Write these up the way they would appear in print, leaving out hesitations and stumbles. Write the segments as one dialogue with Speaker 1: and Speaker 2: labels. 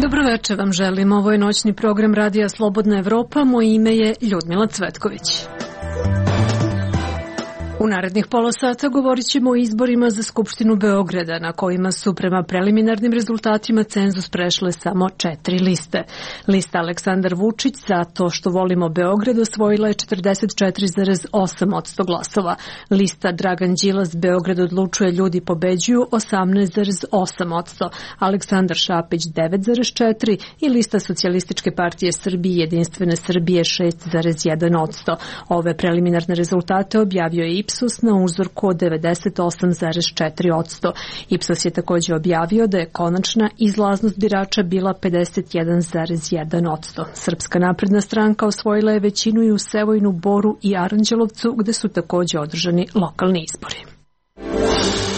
Speaker 1: Dobroveče vam želim. Ovo je noćni program Radija Slobodna Evropa. Moje ime je Ljudmila Cvetković. U narednih pola sata govorit ćemo o izborima za Skupštinu Beograda, na kojima su prema preliminarnim rezultatima cenzus prešle samo 4 liste. Lista Aleksandar Vučić za to što volimo Beograd osvojila je 44,8% glasova. Lista Dragan Đilas Beograd odlučuje ljudi pobeđuju 18,8%, Aleksandar Šapić 9,4% i lista Socijalističke partije Srbije Jedinstvene Srbije 6,1%. Ove preliminarne rezultate objavio je Ipsos na uzorku od 98,4%. Ipsos je također objavio da je konačna izlaznost birača bila 51,1%. Srpska napredna stranka osvojila je većinu i u Sevojnu, Boru i Aranđelovcu, gde su također održani lokalni izbori.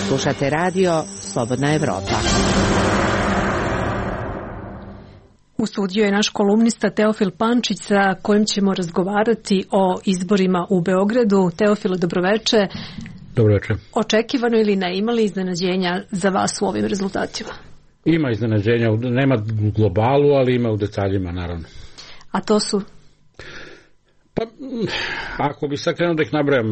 Speaker 2: Slušate radio Slobodna Evropa.
Speaker 1: U studiju je naš kolumnista Teofil Pančić sa kojim ćemo razgovarati o izborima u Beogradu. Teofile, dobroveče.
Speaker 3: Dobroveče.
Speaker 1: Očekivano ili ne, imali iznenađenja za vas u ovim rezultatima?
Speaker 3: Ima iznenađenja, nema u globalu, ali ima u detaljima, naravno.
Speaker 1: A to su?
Speaker 3: Pa, ako bi sad krenuo da ih nabrajam,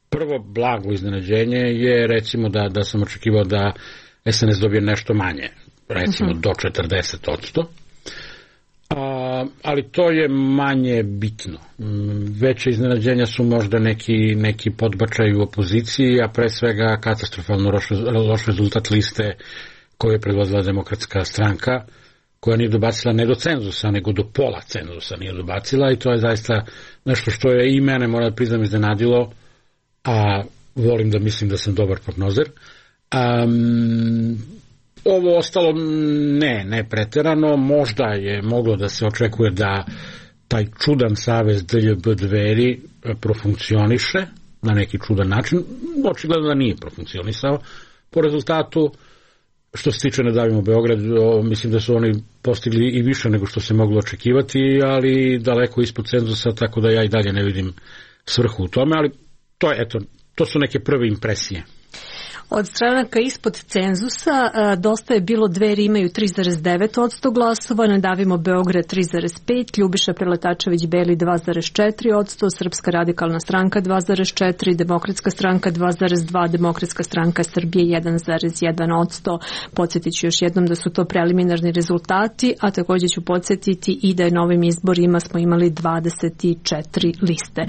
Speaker 3: prvo blago iznenađenje je recimo da sam očekivao da SNS dobije nešto manje, recimo do 40%, ali to je manje bitno. Veće iznenađenja su možda neki podbačaj u opoziciji, a pre svega katastrofalno loš rezultat liste koju je predvodila Demokratska stranka, koja nije dobacila ne do cenzusa, nego do pola cenzusa nije dobacila, i to je zaista nešto što je i mene, moram da priznam, iznenadilo, a volim da mislim da sam dobar prognozer. Ovo ostalo ne preterano, možda je moglo da se očekuje da taj čudan savez DLB Dveri profunkcioniše na neki čudan način. Očigledno da nije profunkcionisao. Po rezultatu, što se tiče Ne davimo Beograd, mislim da su oni postigli i više nego što se moglo očekivati, ali daleko ispod cenzusa, tako da ja i dalje ne vidim svrhu u tome, ali to su neke prve impresije.
Speaker 1: Od stranaka ispod cenzusa dosta je bilo. Dveri imaju 3,9% glasova, Ne davimo Beograd 3,5%, Ljubiša Preletačević Beli 2,4%, Srpska radikalna stranka 2,4%, Demokratska stranka 2,2%, Demokratska stranka Srbije 1,1%. Podsjetit ću još jednom da su to preliminarni rezultati, a također ću podsjetiti i da je na ovim izborima smo imali 24 liste.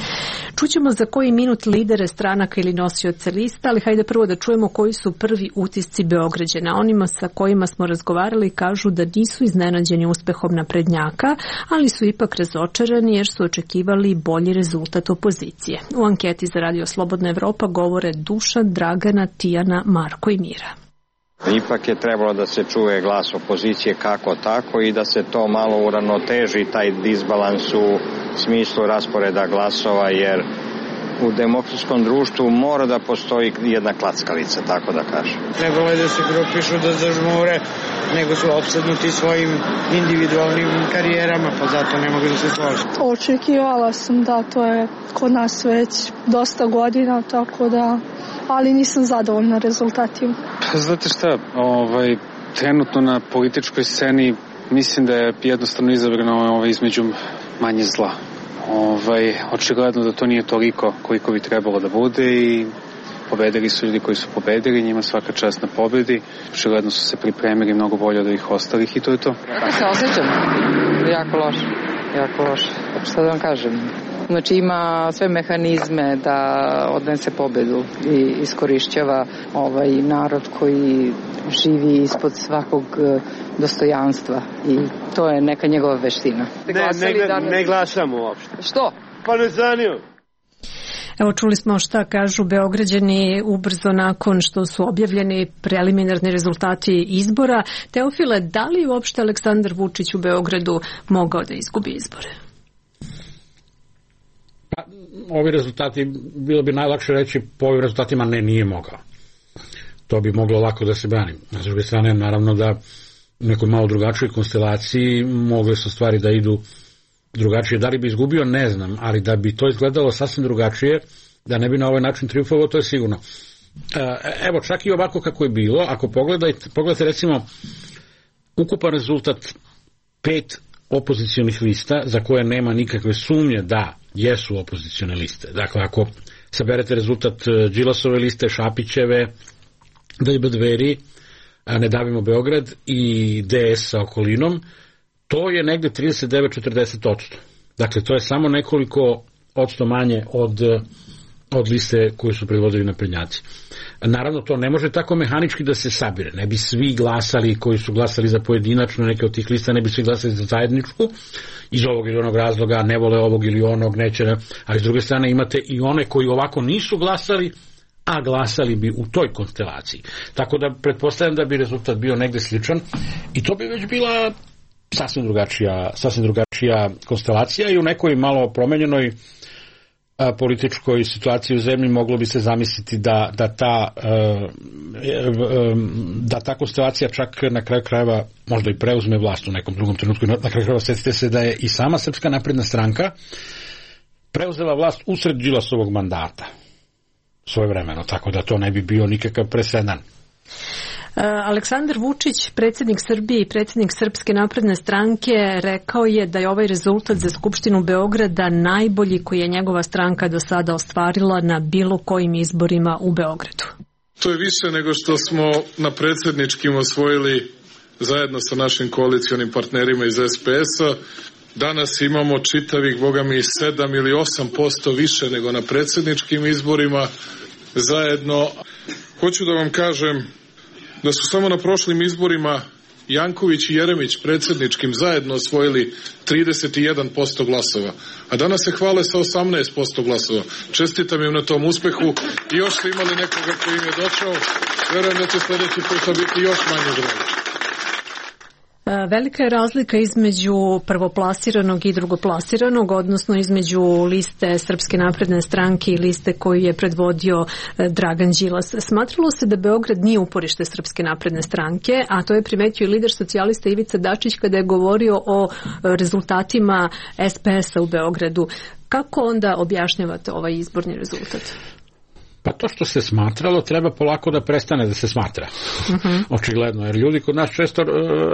Speaker 1: Čućemo za koji minut lidere stranaka ili nosioce lista, ali hajde prvo da čujemo koji su prvi utisci Beograđana. Onima sa kojima smo razgovarali kažu da nisu iznenađeni uspehom naprednjaka, ali su ipak razočarani jer su očekivali bolji rezultat opozicije. U anketi za Radio Slobodna Evropa govore Dušan, Dragana, Tijana, Marko i Mira.
Speaker 4: Ipak je trebalo da se čuje glas opozicije kako tako i da se to malo uravnoteži, taj disbalans u smislu rasporeda glasova, jer u demokratskom društvu mora da postoji jedna klackalica, tako da kažem.
Speaker 5: Trebalo je da se grupišu, da zažmure, nego su opsednuti svojim individualnim karijerama, pa zato ne mogu da se složi.
Speaker 6: Očekivala sam da to je kod nas već dosta godina, tako da, ali nisam zadovoljna rezultatima.
Speaker 7: Znate šta, trenutno na političkoj sceni mislim da je jednostavno izabrano između manje zla. Očigledno da to nije toliko koliko bi trebalo da bude i pobedili su ljudi koji su pobedili, njima svaka čast na pobedi. Očigledno su se pripremili mnogo bolje od ovih ostalih i to je to.
Speaker 8: Kako se osjećam? Jako loše. Šta da vam kažem? Znači ima sve mehanizme da odnese pobedu i iskorišćava narod koji živi ispod svakog dostojanstva i to je neka njegova veština.
Speaker 9: Ne glasamo uopšte.
Speaker 8: Što?
Speaker 9: Pa ne zanima.
Speaker 1: Evo, čuli smo šta kažu Beograđani ubrzo nakon što su objavljeni preliminarni rezultati izbora. Teofile, da li uopšte Aleksandar Vučić u Beogradu mogao da izgubi izbore?
Speaker 3: Pa, ovi rezultati, bilo bi najlakše reći po ovim rezultatima nije mogao. To bi moglo lako da se brani. S druge strane, naravno da u nekoj malo drugačijoj konstelaciji mogle su stvari da idu drugačije. Da li bi izgubio, ne znam, ali da bi to izgledalo sasvim drugačije, da ne bi na ovaj način triumfovao, to je sigurno. Evo, čak i ovako kako je bilo, ako pogledate recimo ukupan rezultat 5 opozicionih lista za koje nema nikakve sumnje da jesu opozicione liste. Dakle, ako saberete rezultat Đilasove liste, Šapićeve, DJB Dveri, Ne davimo Beograd i DS sa okolinom, to je negde 39-40%. Dakle, to je samo nekoliko odsto manje od liste koju su predvodili naprednjaci. Naravno, to ne može tako mehanički da se sabire. Ne bi svi glasali koji su glasali za pojedinačno neke od tih lista, ne bi svi glasali za zajedničku, iz ovog ili onog razloga, ne vole ovog ili onog, neće, ali s druge strane imate i one koji ovako nisu glasali, a glasali bi u toj konstelaciji. Tako da pretpostavljam da bi rezultat bio negde sličan i to bi već bila sasvim drugačija konstelacija i u nekoj malo promenjenoj političkoj situaciji u zemlji moglo bi se zamisliti da ta konstelacija čak na kraju krajeva možda i preuzme vlast u nekom drugom trenutku. Na kraju krajeva setite se da je i sama Srpska napredna stranka preuzela vlast usred Đilasovog mandata svojevremeno, tako da to ne bi bio nikakav presedan.
Speaker 1: Aleksandar Vučić, predsjednik Srbije i predsjednik Srpske napredne stranke, rekao je da je ovaj rezultat za Skupštinu Beograda najbolji koji je njegova stranka do sada ostvarila na bilo kojim izborima u Beogradu.
Speaker 10: To je više nego što smo na predsjedničkim osvojili zajedno sa našim koalicionim partnerima iz SPS-a. Danas imamo čitavih, boga mi, 7 ili 8% više nego na predsjedničkim izborima zajedno. Hoću da vam kažem da su samo na prošlim izborima Janković i Jeremić predsjedničkim zajedno osvojili 31% glasova, a danas se hvale sa 18% glasova. Čestitam im na tom uspehu i još ste imali nekoga koji im je došao. Verujem da će sljedeći puta biti još manje broj.
Speaker 1: Velika je razlika između prvoplasiranog i drugoplasiranog, odnosno između liste Srpske napredne stranke i liste koju je predvodio Dragan Đilas. Smatralo se da Beograd nije uporište Srpske napredne stranke, a to je primetio i lider socijalista Ivica Dačić kada je govorio o rezultatima SPS-a u Beogradu. Kako onda objašnjavate ovaj izborni rezultat?
Speaker 3: Pa to što se smatralo treba polako da prestane da se smatra. Očigledno, jer ljudi kod nas često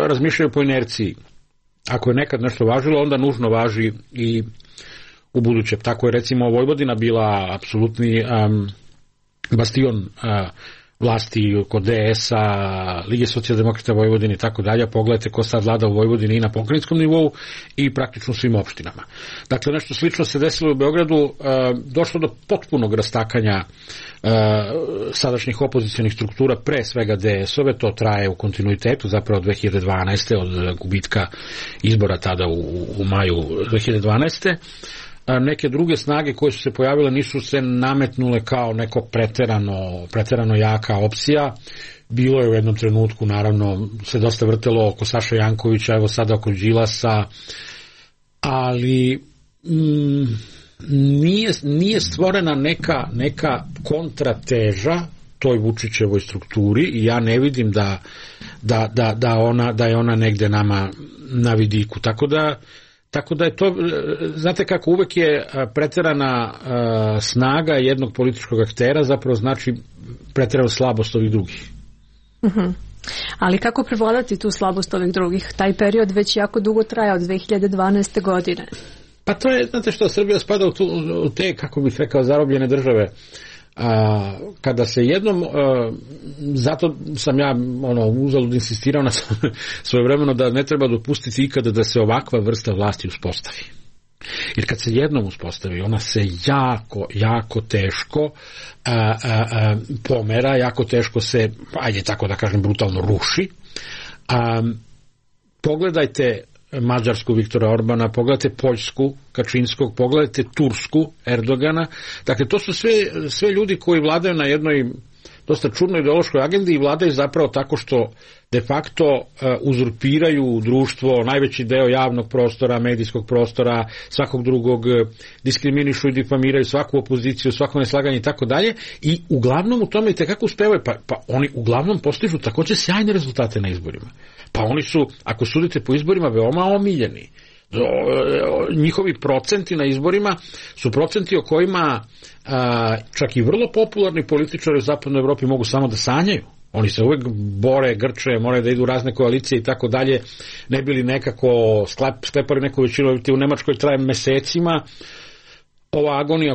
Speaker 3: razmišljaju po inerciji. Ako je nekad nešto važilo, onda nužno važi i u buduće. Tako je recimo Vojvodina bila apsolutni bastion vlasti kod DS-a, Lige socijaldemokrata Vojvodine i tako dalje. Pogledajte ko sad vlada u Vojvodini i na pokrajinskom nivou i praktično svim opštinama. Dakle, nešto slično se desilo u Beogradu, došlo do potpunog rastakanja sadašnjih opozicionih struktura, pre svega DS-ove, to traje u kontinuitetu, zapravo 2012. od gubitka izbora tada u maju 2012. Neke druge snage koje su se pojavile nisu se nametnule kao neko preterano jaka opcija. Bilo je u jednom trenutku, naravno, se dosta vrtelo oko Saša Jankovića, evo sada oko Đilasa, ali nije stvorena neka kontrateža toj Vučićevoj strukturi i ja ne vidim da je ona negde nama na vidiku. Tako da je to, znate kako, uvek je preterana snaga jednog političkog aktera zapravo znači preterana slabost ovih drugih.
Speaker 1: Ali kako prevladati tu slabost ovih drugih? Taj period već jako dugo traja od 2012. godine.
Speaker 3: Pa to je, znate što, Srbija spada u te, kako bih rekao, zarobljene države. Kada se jednom, zato sam ja uzalud insistirao na svojevremeno da ne treba dopustiti ikada da se ovakva vrsta vlasti uspostavi. Jer kad se jednom uspostavi, ona se jako teško pomera, jako teško se, ajde tako da kažem, brutalno ruši. Pogledajte Mađarsku Viktora Orbana, pogledajte Poljsku Kačinskog, pogledajte Tursku Erdogana. Dakle, to su sve ljudi koji vladaju na jednoj dosta čudnoj ideološkoj agendi i vladaju zapravo tako što de facto uzurpiraju društvo, najveći deo javnog prostora, medijskog prostora, svakog drugog, diskriminišu i difamiraju svaku opoziciju, svako neslaganje i tako dalje, i uglavnom u tome i tekako uspevaju, pa oni uglavnom postižu takođe sjajne rezultate na izborima. Pa oni su, ako sudite po izborima, veoma omiljeni. Njihovi procenti na izborima su procenti o kojima čak i vrlo popularni političari u zapadnoj Evropi mogu samo da sanjaju. Oni se uvek bore, grče, moraju da idu razne koalicije i tako dalje, ne bili nekako sklepali neku većinu, u Nemačkoj traje mesecima ova agonija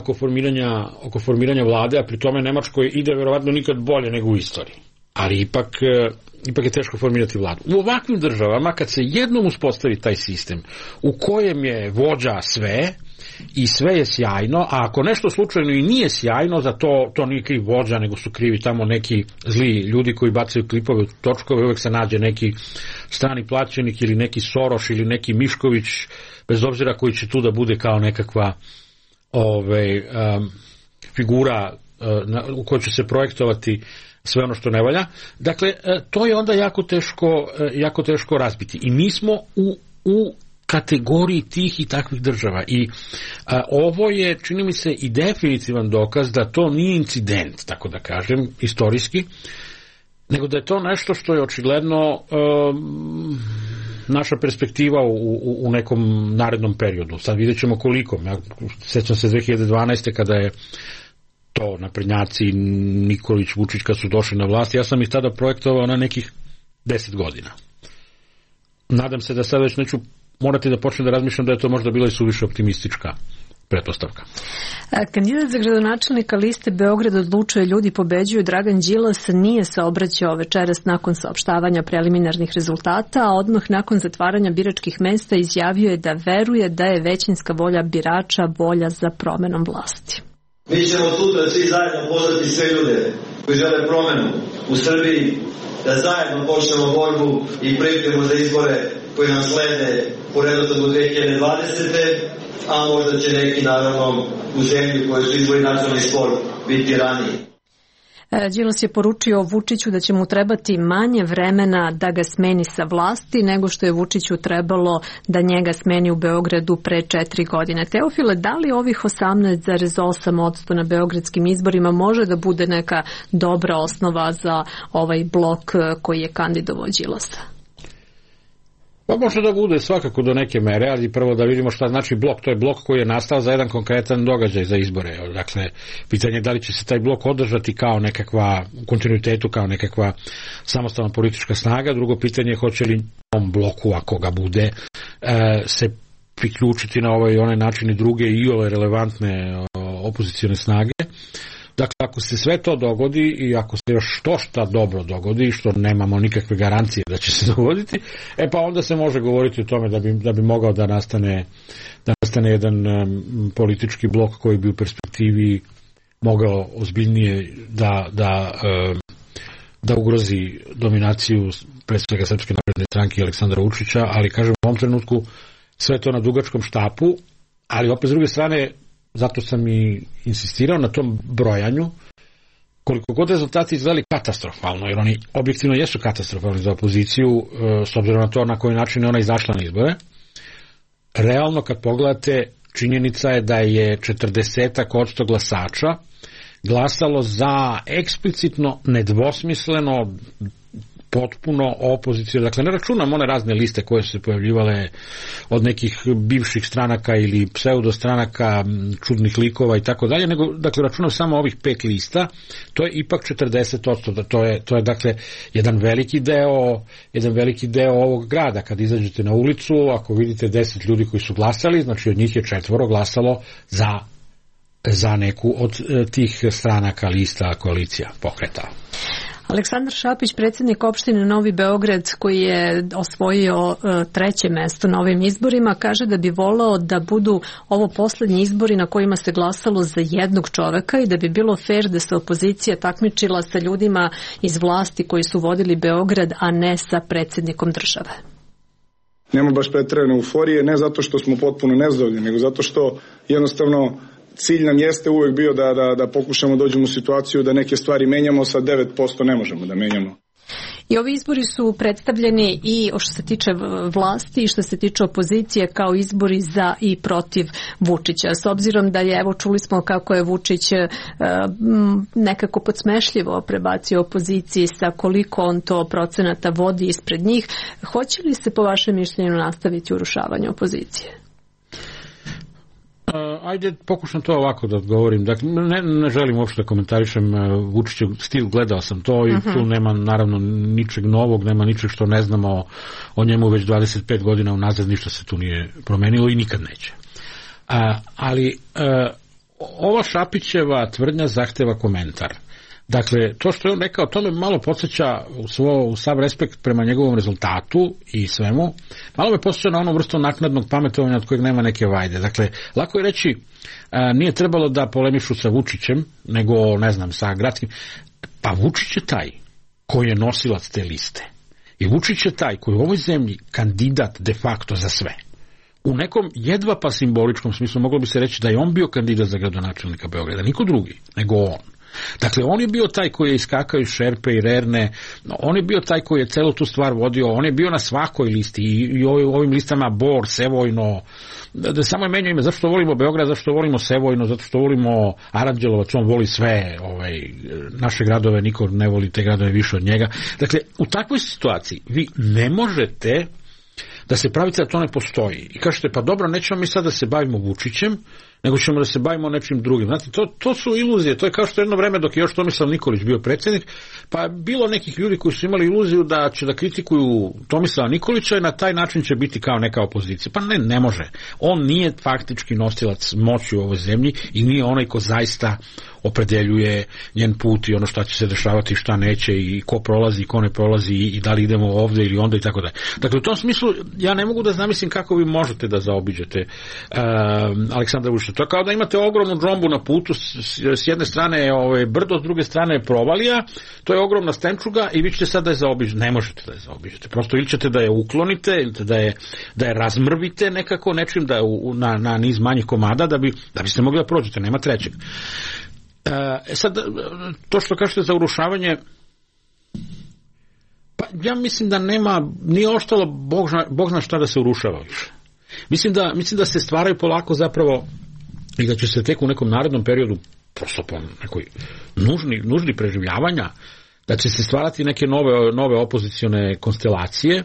Speaker 3: oko formiranja vlade, a pri tome Nemačkoj ide verovatno nikad bolje nego u istoriji. Ali ipak je teško formirati vladu. U ovakvim državama, kad se jednom uspostavi taj sistem u kojem je vođa sve i sve je sjajno, a ako nešto slučajno i nije sjajno, za to nije kriv vođa, nego su krivi tamo neki zli ljudi koji bacaju klipove u točkove, uvek se nađe neki strani plaćenik ili neki Soroš ili neki Mišković, bez obzira koji će tu da bude kao nekakva figura u kojoj će se projektovati sve ono što ne valja. Dakle, to je onda jako teško razbiti. I mi smo u kategoriji tih i takvih država. I ovo je, čini mi se, i definitivan dokaz da to nije incident, tako da kažem, istorijski, nego da je to nešto što je očigledno naša perspektiva u nekom narednom periodu. Sad vidjet ćemo koliko. Ja sećam se 2012. kada je to naprednjaci, Nikolić, Vučić kad su došli na vlast, ja sam ih tada projektovao na nekih 10 godina. Nadam se da sad već neću morati da počnem da razmišljam da je to možda bila i suviše optimistička pretpostavka.
Speaker 1: Kandidat za gradonačelnika liste Beograd odlučuje ljudi pobeđuju Dragan Đilas nije se obraćao večeras nakon saopštavanja preliminarnih rezultata, a odmah nakon zatvaranja biračkih mesta izjavio je da veruje da je većinska volja birača volja za promenom vlasti.
Speaker 11: Mi ćemo sutra svi zajedno pozvati sve ljude koji žele promenu u Srbiji, da zajedno počnemo borbu i pripremu za izbore koji nam slede po redosledu 2020. A možda će neki naravno u zemlji koji su izbori nacionalni sport biti raniji.
Speaker 1: Đilas je poručio Vučiću da će mu trebati manje vremena da ga smeni sa vlasti nego što je Vučiću trebalo da njega smeni u Beogradu pre 4 godine. Teofile, da li ovih 18,8% na beogradskim izborima može da bude neka dobra osnova za ovaj blok koji je kandidovao Đilasa?
Speaker 3: Pa može da bude svakako do neke mere, ali prvo da vidimo šta znači blok. To je blok koji je nastao za jedan konkretan događaj za izbore. Dakle, pitanje je da li će se taj blok održati kao nekakva, u kontinuitetu kao nekakva samostalna politička snaga. Drugo pitanje je hoće li ovom bloku, ako ga bude, se priključiti na ovaj i onaj način i druge i ove relevantne opozicione snage. Dakle, ako se sve to dogodi i ako se još šta dobro dogodi, što nemamo nikakve garancije da će se dogoditi, pa onda se može govoriti o tome da bi mogao da nastane jedan politički blok koji bi u perspektivi mogao ozbiljnije da ugrozi dominaciju pre svega Srpske napredne stranke i Aleksandra Vučića, ali kažem u ovom trenutku sve to na dugačkom štapu, ali opet s druge strane zato sam i insistirao na tom brojanju, koliko god rezultati izgledali katastrofalno, jer oni objektivno jesu katastrofalni za opoziciju, s obzirom na to na koji način je ona izašla na izbore. Realno kad pogledate, činjenica je da je 40% glasača glasalo za eksplicitno, nedvosmisleno, potpuno opoziciju. Dakle, ne računam one razne liste koje su se pojavljivale od nekih bivših stranaka ili pseudostranaka, čudnih likova i tako dalje, nego, dakle, računam samo ovih 5 lista, to je ipak 40%. To je dakle, jedan veliki deo ovog grada. Kad izađete na ulicu, ako vidite 10 ljudi koji su glasali, znači od njih je 4 glasalo za neku od tih stranaka, lista, koalicija, pokreta.
Speaker 1: Aleksandar Šapić, predsjednik opštine Novi Beograd, koji je osvojio 3. mesto na ovim izborima, kaže da bi volao da budu ovo poslednji izbori na kojima se glasalo za jednog čoveka i da bi bilo fair da se opozicija takmičila sa ljudima iz vlasti koji su vodili Beograd, a ne sa predsjednikom države.
Speaker 12: Nema baš preterane euforije, ne zato što smo potpuno nezadovoljni, nego zato što jednostavno cilj nam jeste uvek bio da pokušamo dođemo u situaciju da neke stvari menjamo, sa 9% ne možemo da menjamo.
Speaker 1: I ovi izbori su predstavljeni i što se tiče vlasti i što se tiče opozicije kao izbori za i protiv Vučića. S obzirom da je, evo čuli smo kako je Vučić nekako podsmešljivo prebacio opoziciji sa koliko on to procenata vodi ispred njih, hoće li se po vašem mišljenju nastaviti urušavanje opozicije?
Speaker 3: Ajde, pokušam to ovako da odgovorim. Dakle, ne želim uopšte da komentarišem Vučićev stil, gledao sam to i tu nema naravno ničeg novog, nema ničeg što ne znamo o njemu već 25 godina unazad, ništa se tu nije promenilo i nikad neće. Ali ova Šapićeva tvrdnja zahteva komentar. Dakle, to što je on rekao, to me malo podsjeća u sav respekt prema njegovom rezultatu i svemu, malo me podsjeća na onu vrstu naknadnog pametovanja od kojeg nema neke vajde. Dakle, lako je reći, nije trebalo da polemišu sa Vučićem, nego, ne znam, sa gradskim. Pa Vučić je taj koji je nosilac te liste. I Vučić je taj koji je u ovoj zemlji kandidat de facto za sve. U nekom jedva pa simboličkom smislu moglo bi se reći da je on bio kandidat za gradonačelnika Beograda, niko drugi, nego on. Dakle, on je bio taj koji je iskakao iz šerpe i rerne, on je bio taj koji je celu tu stvar vodio, on je bio na svakoj listi i ovim listama Bor, Sevojno, da samo je menjao ime, zašto volimo Beograd, zašto volimo Sevojno, zato što volimo Aranđelovac, on voli sve naše gradove, niko ne voli te gradove više od njega. Dakle, u takvoj situaciji vi ne možete da se pravite da to ne postoji. I kažete, pa dobro, nećemo mi sad da se bavimo Vučićem, nego ćemo da se bavimo nečim drugim. Znate, to su iluzije. To je kao što jedno vreme dok je još Tomislav Nikolić bio predsjednik, pa bilo nekih ljudi koji su imali iluziju da će da kritikuju Tomislava Nikolića i na taj način će biti kao neka opozicija. Pa ne može. On nije faktički nosilac moći u ovoj zemlji i nije onaj ko zaista opredeljuje njen put i ono šta će se dešavati, šta neće i ko prolazi i ko ne prolazi i da li idemo ovde ili onda i tako dalje. Dakle, u tom smislu ja ne mogu da zamislim kako vi možete da zaobiđete Aleksandra Vučića. To je kao da imate ogromnu džombu na putu, s jedne strane je brdo, s druge strane je provalija, to je ogromna stenčuga i vi ćete sad da je zaobiđete. Ne možete da je zaobiđete. Prosto ili ćete da je uklonite, ili da je razmrvite nekako nečim da je na niz manjih komada da biste mogli da prođete. Nema trećeg. Sad, to što kažete za urušavanje, pa ja mislim da nije ostalo Bog zna šta da se urušava više. Mislim da se stvaraju polako zapravo i da će se tek u nekom narednom periodu prosto po nekoj nužni preživljavanja, da će se stvarati neke nove opozicione konstelacije,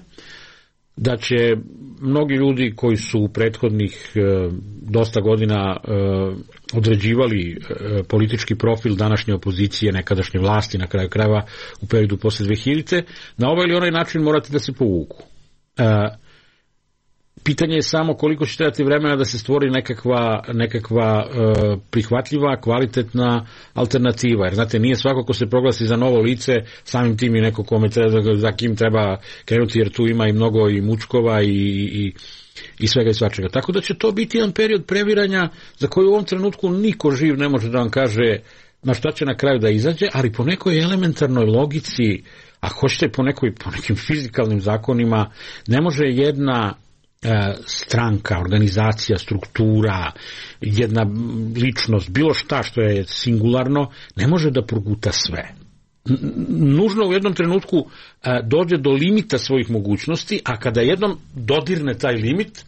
Speaker 3: da će mnogi ljudi koji su u prethodnih dosta godina određivali politički profil današnje opozicije, nekadašnje vlasti, na kraju krajeva u periodu posle 2000. na ovaj ili onaj način morati da se povuku. Pitanje je samo koliko će trebati vremena da se stvori nekakva prihvatljiva, kvalitetna alternativa. Jer, znate, nije svako ko se proglasi za novo lice, samim tim i neko za kim treba krenuti, jer tu ima i mnogo i mučkova i svega i svačega. Tako da će to biti jedan period previranja za koji u ovom trenutku niko živ ne može da vam kaže na šta će na kraju da izađe, ali po nekoj elementarnoj logici, a hoćete po nekim fizikalnim zakonima, ne može jedna stranka, organizacija, struktura, jedna ličnost, bilo šta što je singularno, ne može da proguta sve. Nužno u jednom trenutku dođe do limita svojih mogućnosti, a kada jednom dodirne taj limit,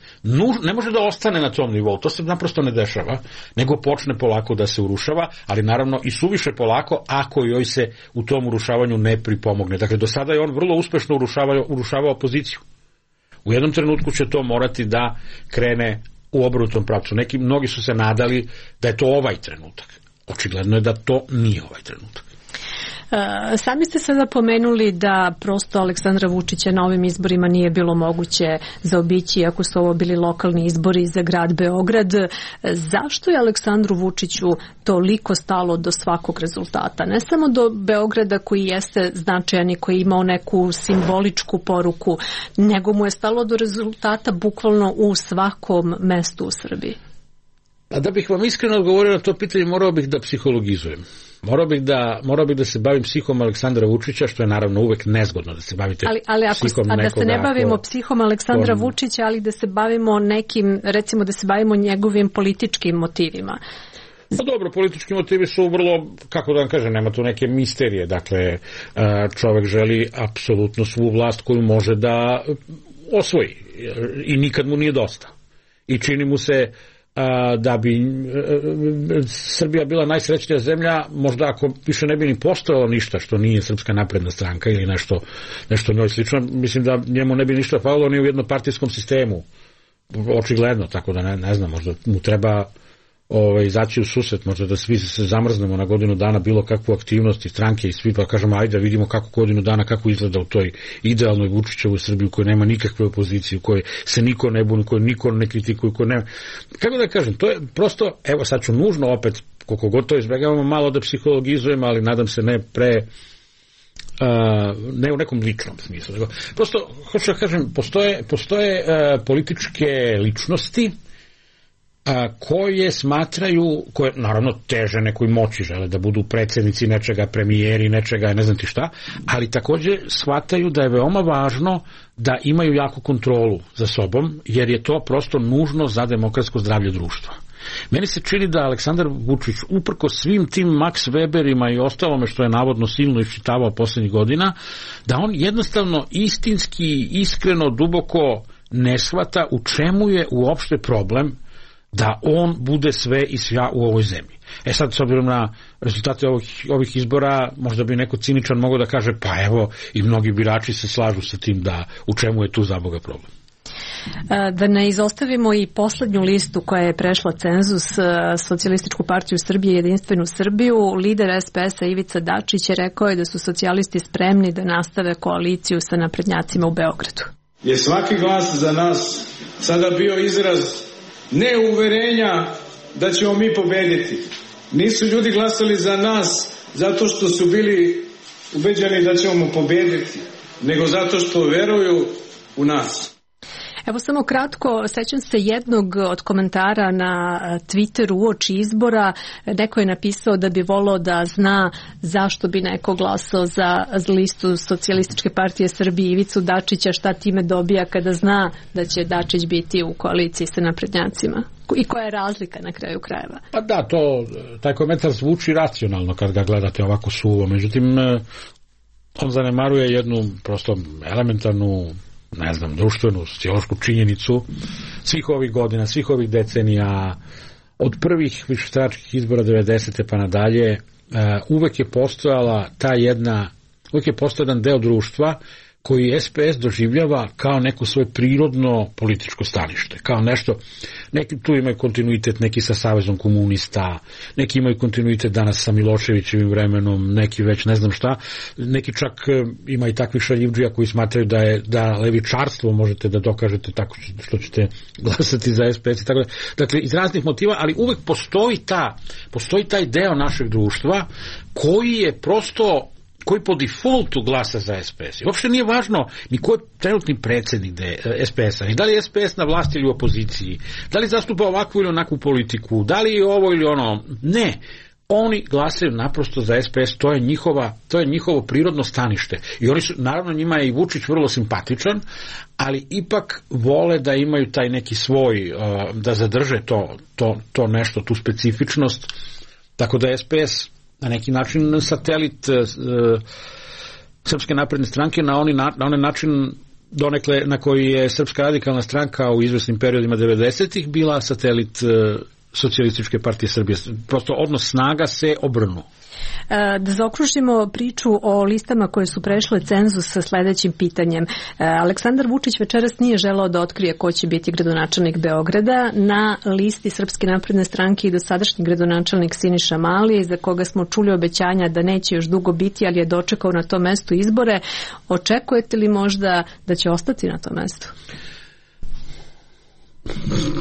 Speaker 3: ne može da ostane na tom nivou. To se naprosto ne dešava, nego počne polako da se urušava, ali naravno i suviše polako ako joj se u tom urušavanju ne pripomogne. Dakle, do sada je on vrlo uspešno urušavao opoziciju. U jednom trenutku će to morati da krene u obrnutom pravcu. Mnogi su se nadali da je to ovaj trenutak. Očigledno je da to nije ovaj trenutak.
Speaker 1: Sami ste sada pomenuli da prosto Aleksandra Vučića na ovim izborima nije bilo moguće zaobići, ako su ovo bili lokalni izbori za grad Beograd. Zašto je Aleksandru Vučiću toliko stalo do svakog rezultata? Ne samo do Beograda koji jeste značajan i koji je imao neku simboličku poruku, nego mu je stalo do rezultata bukvalno u svakom mestu u Srbiji.
Speaker 3: A da bih vam iskreno odgovorio na to pitanje, morao bih da psihologizujem. Morao bih da se bavim psihom Aleksandra Vučića, što je naravno uvek nezgodno da se bavite psihom nekoga.
Speaker 1: Da se ne bavimo psihom Aleksandra Vučića, ali da se bavimo nekim, recimo da se bavimo njegovim političkim motivima.
Speaker 3: Pa dobro, politički motivi su vrlo, kako da vam kažem, nema tu neke misterije. Dakle, čovek želi apsolutno svu vlast koju može da osvoji i nikad mu nije dosta. I čini mu se da bi Srbija bila najsrećnija zemlja, možda ako više ne bi ni postojalo ništa što nije Srpska napredna stranka ili nešto njoj slično, mislim da njemu ne bi ništa falilo ni u jednopartijskom sistemu, očigledno, tako da ne znam, možda mu treba izaći u susret, možda da svi se zamrznemo na godinu dana bilo kakvu aktivnost i stranke i svi pa kažemo ajde da vidimo kako godinu dana, kako izgleda u toj idealnoj Vučićevoj Srbiji u kojoj nema nikakve opozicije, u kojoj se niko ne buni, u kojoj niko ne kritikuje, u kojoj nema. Kako da kažem, to je prosto, evo sad ću nužno opet, koliko god to izbjegavamo malo da psihologizujemo, ali nadam se ne ne u nekom ličnom smislu. Nego, prosto, hoću da kažem, postoje političke ličnosti koje smatraju, koje naravno teže nekoj moći, žele da budu predsjednici nečega, premijeri nečega, ne znam ti šta, ali također shvataju da je veoma važno da imaju jaku kontrolu za sobom, jer je to prosto nužno za demokratsko zdravlje društva. Meni se čini da Aleksandar Vučić, uprko svim tim Max Weberima i ostalome što je navodno silno iščitavao poslednjih godina, da on jednostavno istinski, iskreno, duboko ne shvata u čemu je uopšte problem da on bude sve i svja u ovoj zemlji. Sad, s obzirom na rezultate ovih izbora, možda bi neko ciničan mogao da kaže, pa evo, i mnogi birači se slažu sa tim da u čemu je tu za Boga problem.
Speaker 1: Da ne izostavimo i poslednju listu koja je prešla cenzus, Socijalističku partiju Srbije i Jedinstvenu Srbiju, lider SPS-a Ivica Dačić je rekao da su socijalisti spremni da nastave koaliciju sa naprednjacima u Beogradu.
Speaker 13: Je svaki glas za nas sada bio izraz ne uverenja da ćemo mi pobediti. Nisu ljudi glasali za nas zato što su bili ubeđeni da ćemo pobediti, nego zato što veruju u nas.
Speaker 1: Evo samo kratko, sećam se jednog od komentara na Twitteru uoči izbora. Neko je napisao da bi volao da zna zašto bi neko glasao za listu Socijalističke partije Srbije Ivicu Dačića, šta time dobija kada zna da će Dačić biti u koaliciji sa naprednjacima. I koja je razlika na kraju krajeva?
Speaker 3: Pa da, taj komentar zvuči racionalno kad ga gledate ovako suvo. Međutim, on zanemaruje jednu prosto elementarnu, ne znam, društvenu, sociološku činjenicu svih ovih godina, svih ovih decenija, od prvih višestranačkih izbora 90. pa nadalje, uvek je postojala uvek je postojao jedan deo društva koji SPS doživljava kao neko svoje prirodno političko stanište, kao nešto, neki tu imaju kontinuitet, neki sa Savezom komunista, neki imaju kontinuitet danas sa Miloševićevim vremenom, neki već ne znam šta, neki čak ima i takvih šaljivdžija koji smatraju da levičarstvo možete da dokažete tako što ćete glasati za SPS i tako da. Dakle, iz raznih motiva, ali uvek postoji taj deo našeg društva koji je prosto koji po defaultu glasa za SPS. I uopšte nije važno ni ko je trenutni predsjednik SPS-a, ni da li je SPS na vlasti ili u opoziciji, da li zastupa ovakvu ili onakvu politiku, da li je ovo ili ono. Ne. Oni glasaju naprosto za SPS, to je njihovo prirodno stanište. I oni su, naravno njima je i Vučić vrlo simpatičan, ali ipak vole da imaju taj neki svoj, da zadrže to nešto, tu specifičnost. Tako da SPS na neki način satelit Srpske napredne stranke na onaj način donekle na koji je Srpska radikalna stranka u izvesnim periodima 90-ih bila satelit Socijalističke partije Srbije. Prosto odnos snaga se obrnu.
Speaker 1: Da zaokružimo priču o listama koje su prešle cenzus sa sledećim pitanjem. Aleksandar Vučić večeras nije želeo da otkrije ko će biti gradonačelnik Beograda. Na listi Srpske napredne stranke i dosadašnji gradonačelnik Siniša Mali, za koga smo čuli obećanja da neće još dugo biti, ali je dočekao na tom mestu izbore. Očekujete li možda da će ostati na tom mestu?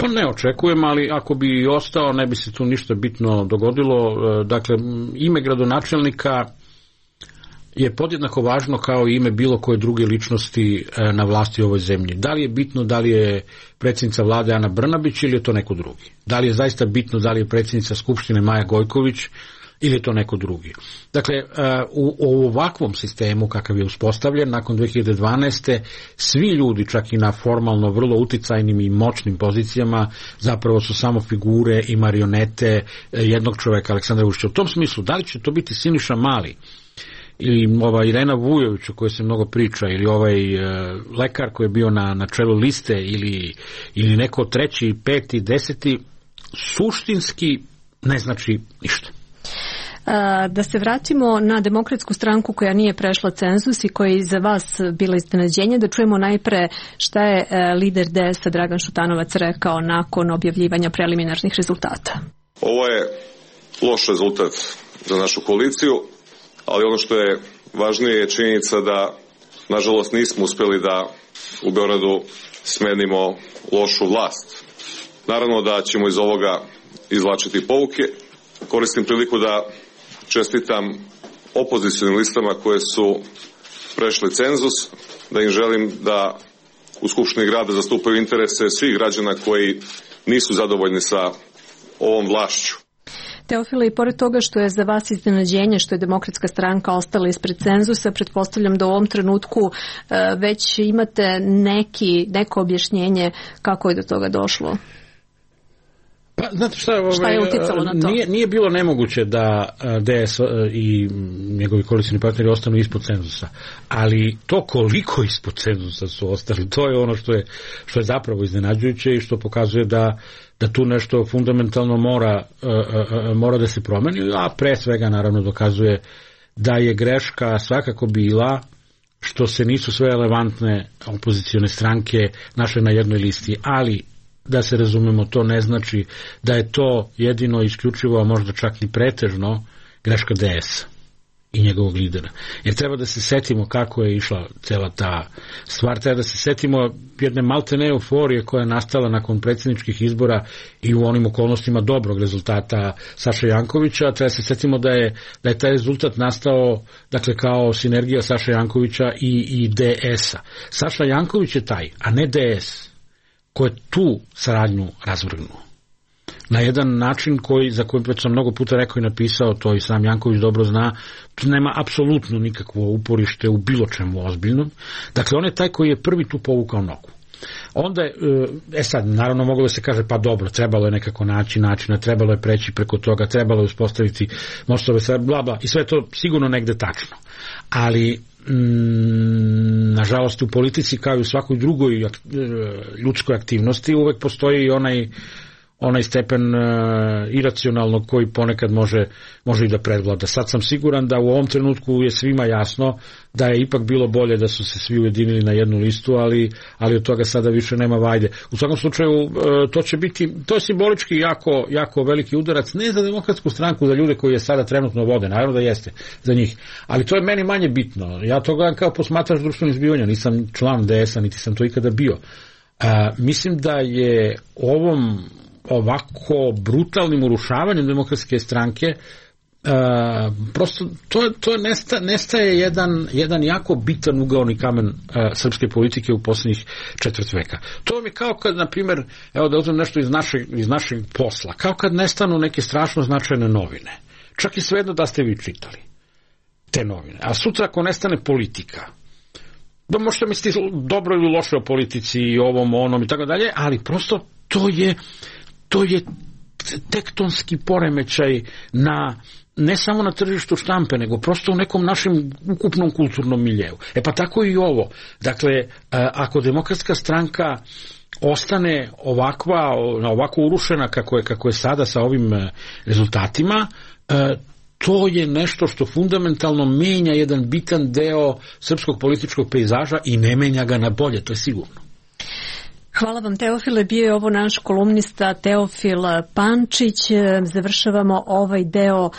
Speaker 3: Pa ne očekujem, ali ako bi i ostao, ne bi se tu ništa bitno dogodilo. Dakle, ime gradonačelnika je podjednako važno kao i ime bilo koje druge ličnosti na vlasti u ovoj zemlji. Da li je bitno da li je predsjednica vlade Ana Brnabić ili je to neko drugi? Da li je zaista bitno da li je predsjednica Skupštine Maja Gojković ili je to neko drugi? Dakle, u ovakvom sistemu kakav je uspostavljen nakon 2012. svi ljudi, čak i na formalno vrlo uticajnim i moćnim pozicijama, zapravo su samo figure i marionete jednog čoveka, Aleksandra Vučića. U tom smislu, da li će to biti Siniša Mali ili ova Irena Vujović o kojoj se mnogo priča, ili ovaj lekar koji je bio na čelu liste, ili neko treći, peti, deseti, suštinski ne znači ništa.
Speaker 1: Da se vratimo na Demokratsku stranku koja nije prešla cenzus i koja je za vas bila iznenađenje, da čujemo najpre šta je lider DS-a Dragan Šutanovac rekao nakon objavljivanja preliminarnih rezultata.
Speaker 14: Ovo je loš rezultat za našu koaliciju, ali ono što je važnije je činjenica da, nažalost, nismo uspjeli da u Beogradu smenimo lošu vlast. Naravno da ćemo iz ovoga izvlačiti pouke. Koristim priliku da čestitam opozicionim listama koje su prešli cenzus, da im želim da u Skupštini grada zastupaju interese svih građana koji nisu zadovoljni sa ovom vlašću.
Speaker 1: Teofile, i pored toga što je za vas iznenađenje što je Demokratska stranka ostala ispred cenzusa, pretpostavljam da u ovom trenutku već imate neko objašnjenje kako je do toga došlo.
Speaker 3: Pa, znate šta
Speaker 1: je uticalo na to?
Speaker 3: Nije bilo nemoguće da DS i njegovi koalicioni partneri ostanu ispod cenzusa, ali to koliko ispod cenzusa su ostali, to je ono što je zapravo iznenađujuće i što pokazuje da tu nešto fundamentalno mora da se promeni, a pre svega naravno dokazuje da je greška svakako bila što se nisu sve relevantne opozicione stranke našle na jednoj listi, ali da se razumemo, to ne znači da je to jedino isključivo, a možda čak i pretežno greška DS i njegovog lidera. Jer treba da se setimo kako je išla cela ta stvar, treba da se setimo jedne maltene euforije koja je nastala nakon predsjedničkih izbora i u onim okolnostima dobrog rezultata Saše Jankovića. Treba da se setimo da je taj rezultat nastao, dakle, kao sinergija Saše Jankovića i DS-a. Saša Janković je taj, a ne DS, ko je tu saradnju razvrgnuo. Na jedan način za koji već sam mnogo puta rekao i napisao, to i sam Janković dobro zna, nema apsolutno nikakvo uporište u bilo čemu ozbiljnom. Dakle, on je taj koji je prvi tu povukao nogu. Onda je, sad, naravno moglo da se kaže, pa dobro, trebalo je nekako naći načina, trebalo je preći preko toga, trebalo je uspostaviti mostove, bla bla, i sve to sigurno negde tačno. Ali nažalost u politici kao i u svakoj drugoj ljudskoj aktivnosti uvek postoji i onaj stepen iracionalnog koji ponekad može i da predvlada. Sad sam siguran da u ovom trenutku je svima jasno da je ipak bilo bolje da su se svi ujedinili na jednu listu, ali od toga sada više nema vajde. U svakom slučaju to je simbolički jako veliki udarac, ne za Demokratsku stranku, za ljude koji je sada trenutno vode, naravno da jeste za njih, ali to je meni manje bitno. Ja to gledam kao posmatrač društvenih zbivanja, nisam član DS-a, niti sam to ikada bio. Mislim da je ovom ovako brutalnim urušavanjem Demokratske stranke prosto to nestaje jedan jako bitan ugaoni kamen srpske politike u posljednjih četvrt veka. To mi je kao kad, na primjer, evo da uzmem nešto iz našeg posla, kao kad nestanu neke strašno značajne novine. Čak i svejedno da ste vi čitali te novine. A sutra ako nestane politika, da možete misliti dobro ili loše o politici i ovom, onom i tako dalje, ali prosto to je tektonski poremećaj ne samo na tržištu štampe, nego prosto u nekom našem ukupnom kulturnom miljeu. Pa tako i ovo. Dakle, ako Demokratska stranka ostane ovako urušena kako je sada sa ovim rezultatima, to je nešto što fundamentalno menja jedan bitan deo srpskog političkog pejzaža i ne menja ga na bolje, to je sigurno.
Speaker 1: Hvala vam, Teofile. Bio je ovo naš kolumnista Teofil Pančić. Završavamo ovaj deo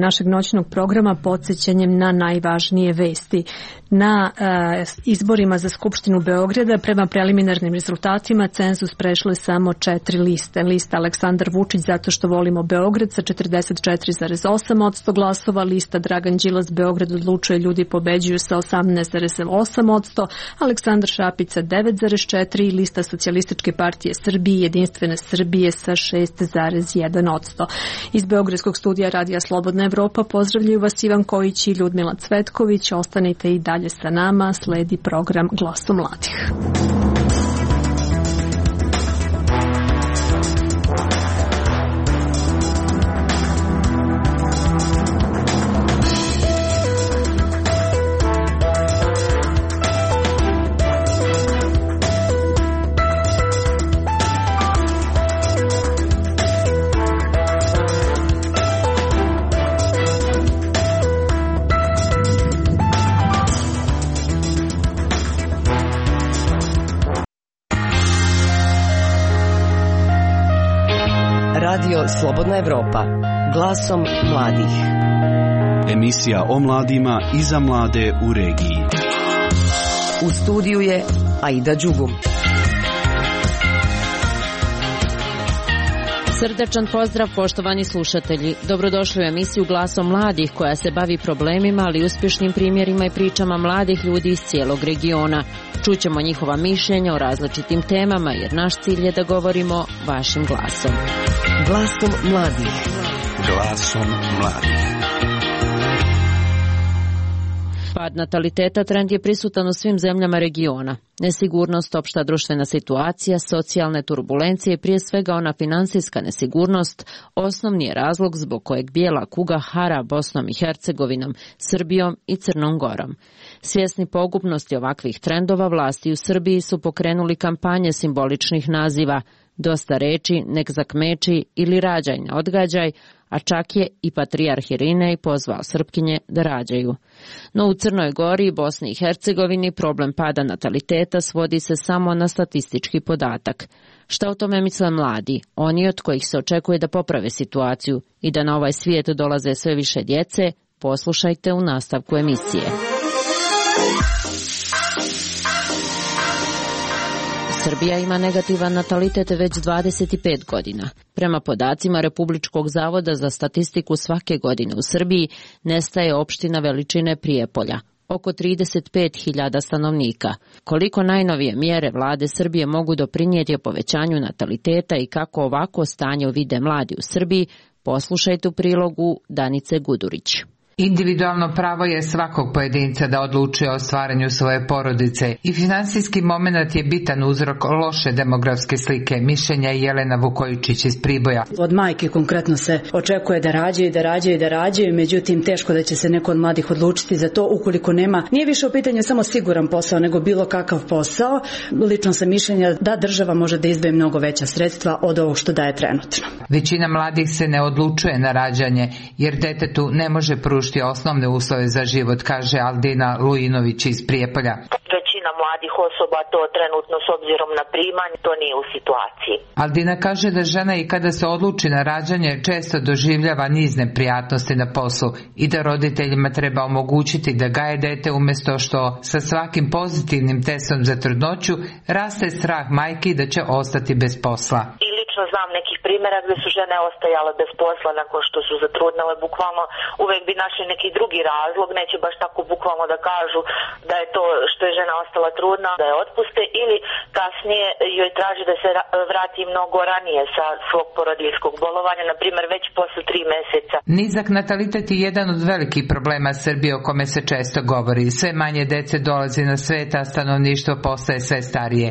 Speaker 1: našeg noćnog programa podsjećanjem na najvažnije vesti. Na izborima za Skupštinu Beograda prema preliminarnim rezultatima cenzus prešle samo 4 liste. Lista Aleksandar Vučić zato što volimo Beograd sa 44,8% glasova, lista Dragan Đilas Beograd odlučuje ljudi pobeđuju sa 18,8%, Aleksandar Šapica 9,4% i lista Socijalističke partije Srbije Jedinstvene Srbije sa 6,1%. Iz Beogradskog studija Radija Slobodna Evropa pozdravljaju vas Ivan Kojić i Ljudmila Cvetković. Ostanite i dalje sa nama, sledi program Glasu mladih.
Speaker 15: Radio Slobodna Evropa. Glasom mladih.
Speaker 16: Emisija o mladima i za mlade u regiji.
Speaker 15: U studiju je Aida Đugum.
Speaker 17: Srdačan pozdrav, poštovani slušatelji. Dobrodošli u emisiju Glasom mladih koja se bavi problemima, ali uspješnim primjerima i pričama mladih ljudi iz cijelog regiona. Čućemo njihova mišljenja o različitim temama jer naš cilj je da govorimo vašim glasom.
Speaker 15: Glasom mladih.
Speaker 16: Glasom mladih.
Speaker 17: Pad nataliteta trend je prisutan u svim zemljama regiona. Nesigurnost, opšta društvena situacija, socijalne turbulencije i prije svega ona finansijska nesigurnost osnovni je razlog zbog kojeg bijela kuga hara Bosnom i Hercegovinom, Srbijom i Crnom Gorom. Svjesni pogubnosti ovakvih trendova, vlasti u Srbiji su pokrenuli kampanje simboličnih naziva Dosta reči, nek zakmeči ili Rađaj ne odgađaj, a čak je i patrijarh Irinej pozvao Srpkinje da rađaju. No u Crnoj Gori i Bosni i Hercegovini problem pada nataliteta svodi se samo na statistički podatak. Šta o tome misle mladi, oni od kojih se očekuje da poprave situaciju i da na ovaj svijet dolaze sve više djece, poslušajte u nastavku emisije. Srbija ima negativan natalitet već 25 godina. Prema podacima Republičkog zavoda za statistiku svake godine u Srbiji nestaje opština veličine Prijepolja, oko 35.000 stanovnika. Koliko najnovije mjere vlade Srbije mogu doprinijeti povećanju nataliteta i kako ovako stanje vide mladi u Srbiji, poslušajte u prilogu Danice Gudurić.
Speaker 18: Individualno pravo je svakog pojedinca da odlučuje o stvaranju svoje porodice i finansijski moment je bitan uzrok loše demografske slike, mišljenja Jelena Vukojičić iz Priboja.
Speaker 19: Od majke konkretno se očekuje da rađaju, međutim teško da će se neko od mladih odlučiti za to ukoliko nema. Nije više u pitanju samo siguran posao, nego bilo kakav posao. Lično sam mišljenja da država može da izdvoji mnogo veća sredstva od ovog što daje trenutno.
Speaker 18: Većina mladih se ne odlučuje na rađanje jer detetu ne može pružiti osnovne uslove za život, kaže Aldina Lujinović iz Prijepolja.
Speaker 20: Većina mladih osoba to trenutno s obzirom na primanje to nije u situaciji.
Speaker 18: Aldina kaže da žena i kada se odluči na rađanje često doživljava niz neprijatnosti na poslu i da roditeljima treba omogućiti da gaje dete umjesto što sa svakim pozitivnim testom za trudnoću raste strah majki da će ostati bez posla.
Speaker 20: Znam nekih primjera gdje su žene ostajale bez posla nakon što su zatrudnele, bukvalno uvijek bi našli neki drugi razlog, neće baš tako bukvalno da kažu da je to što je žena ostala trudna, da je otpuste ili kasnije joj traži da se vrati mnogo ranije sa svog porodiljskog bolovanja, na primjer već posle 3 mjeseca.
Speaker 18: Nizak natalitet je jedan od velikih problema Srbije o kome se često govori. Sve manje dece dolazi na svet, a stanovništvo postaje sve starije.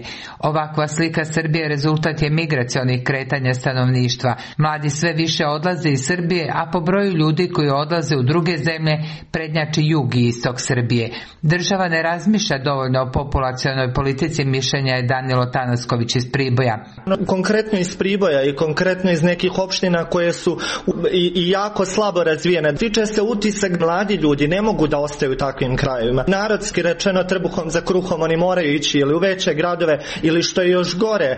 Speaker 18: Ovakva slika Srbije rezultat je migracionih kretanja stanovništva. Mladi sve više odlaze iz Srbije, a po broju ljudi koji odlaze u druge zemlje prednjači jug i istok Srbije. Država ne razmišlja dovoljno o populacionoj politici, mišljenja je Danilo Tanasković iz Priboja.
Speaker 21: Konkretno iz Priboja i konkretno iz nekih opština koje su i jako slabo razvijene. Tiče se utisak, mladi ljudi ne mogu da ostaju u takvim krajevima. Narodski rečeno, trbuhom za kruhom oni moraju ići ili u veće gradove ili što je još gore,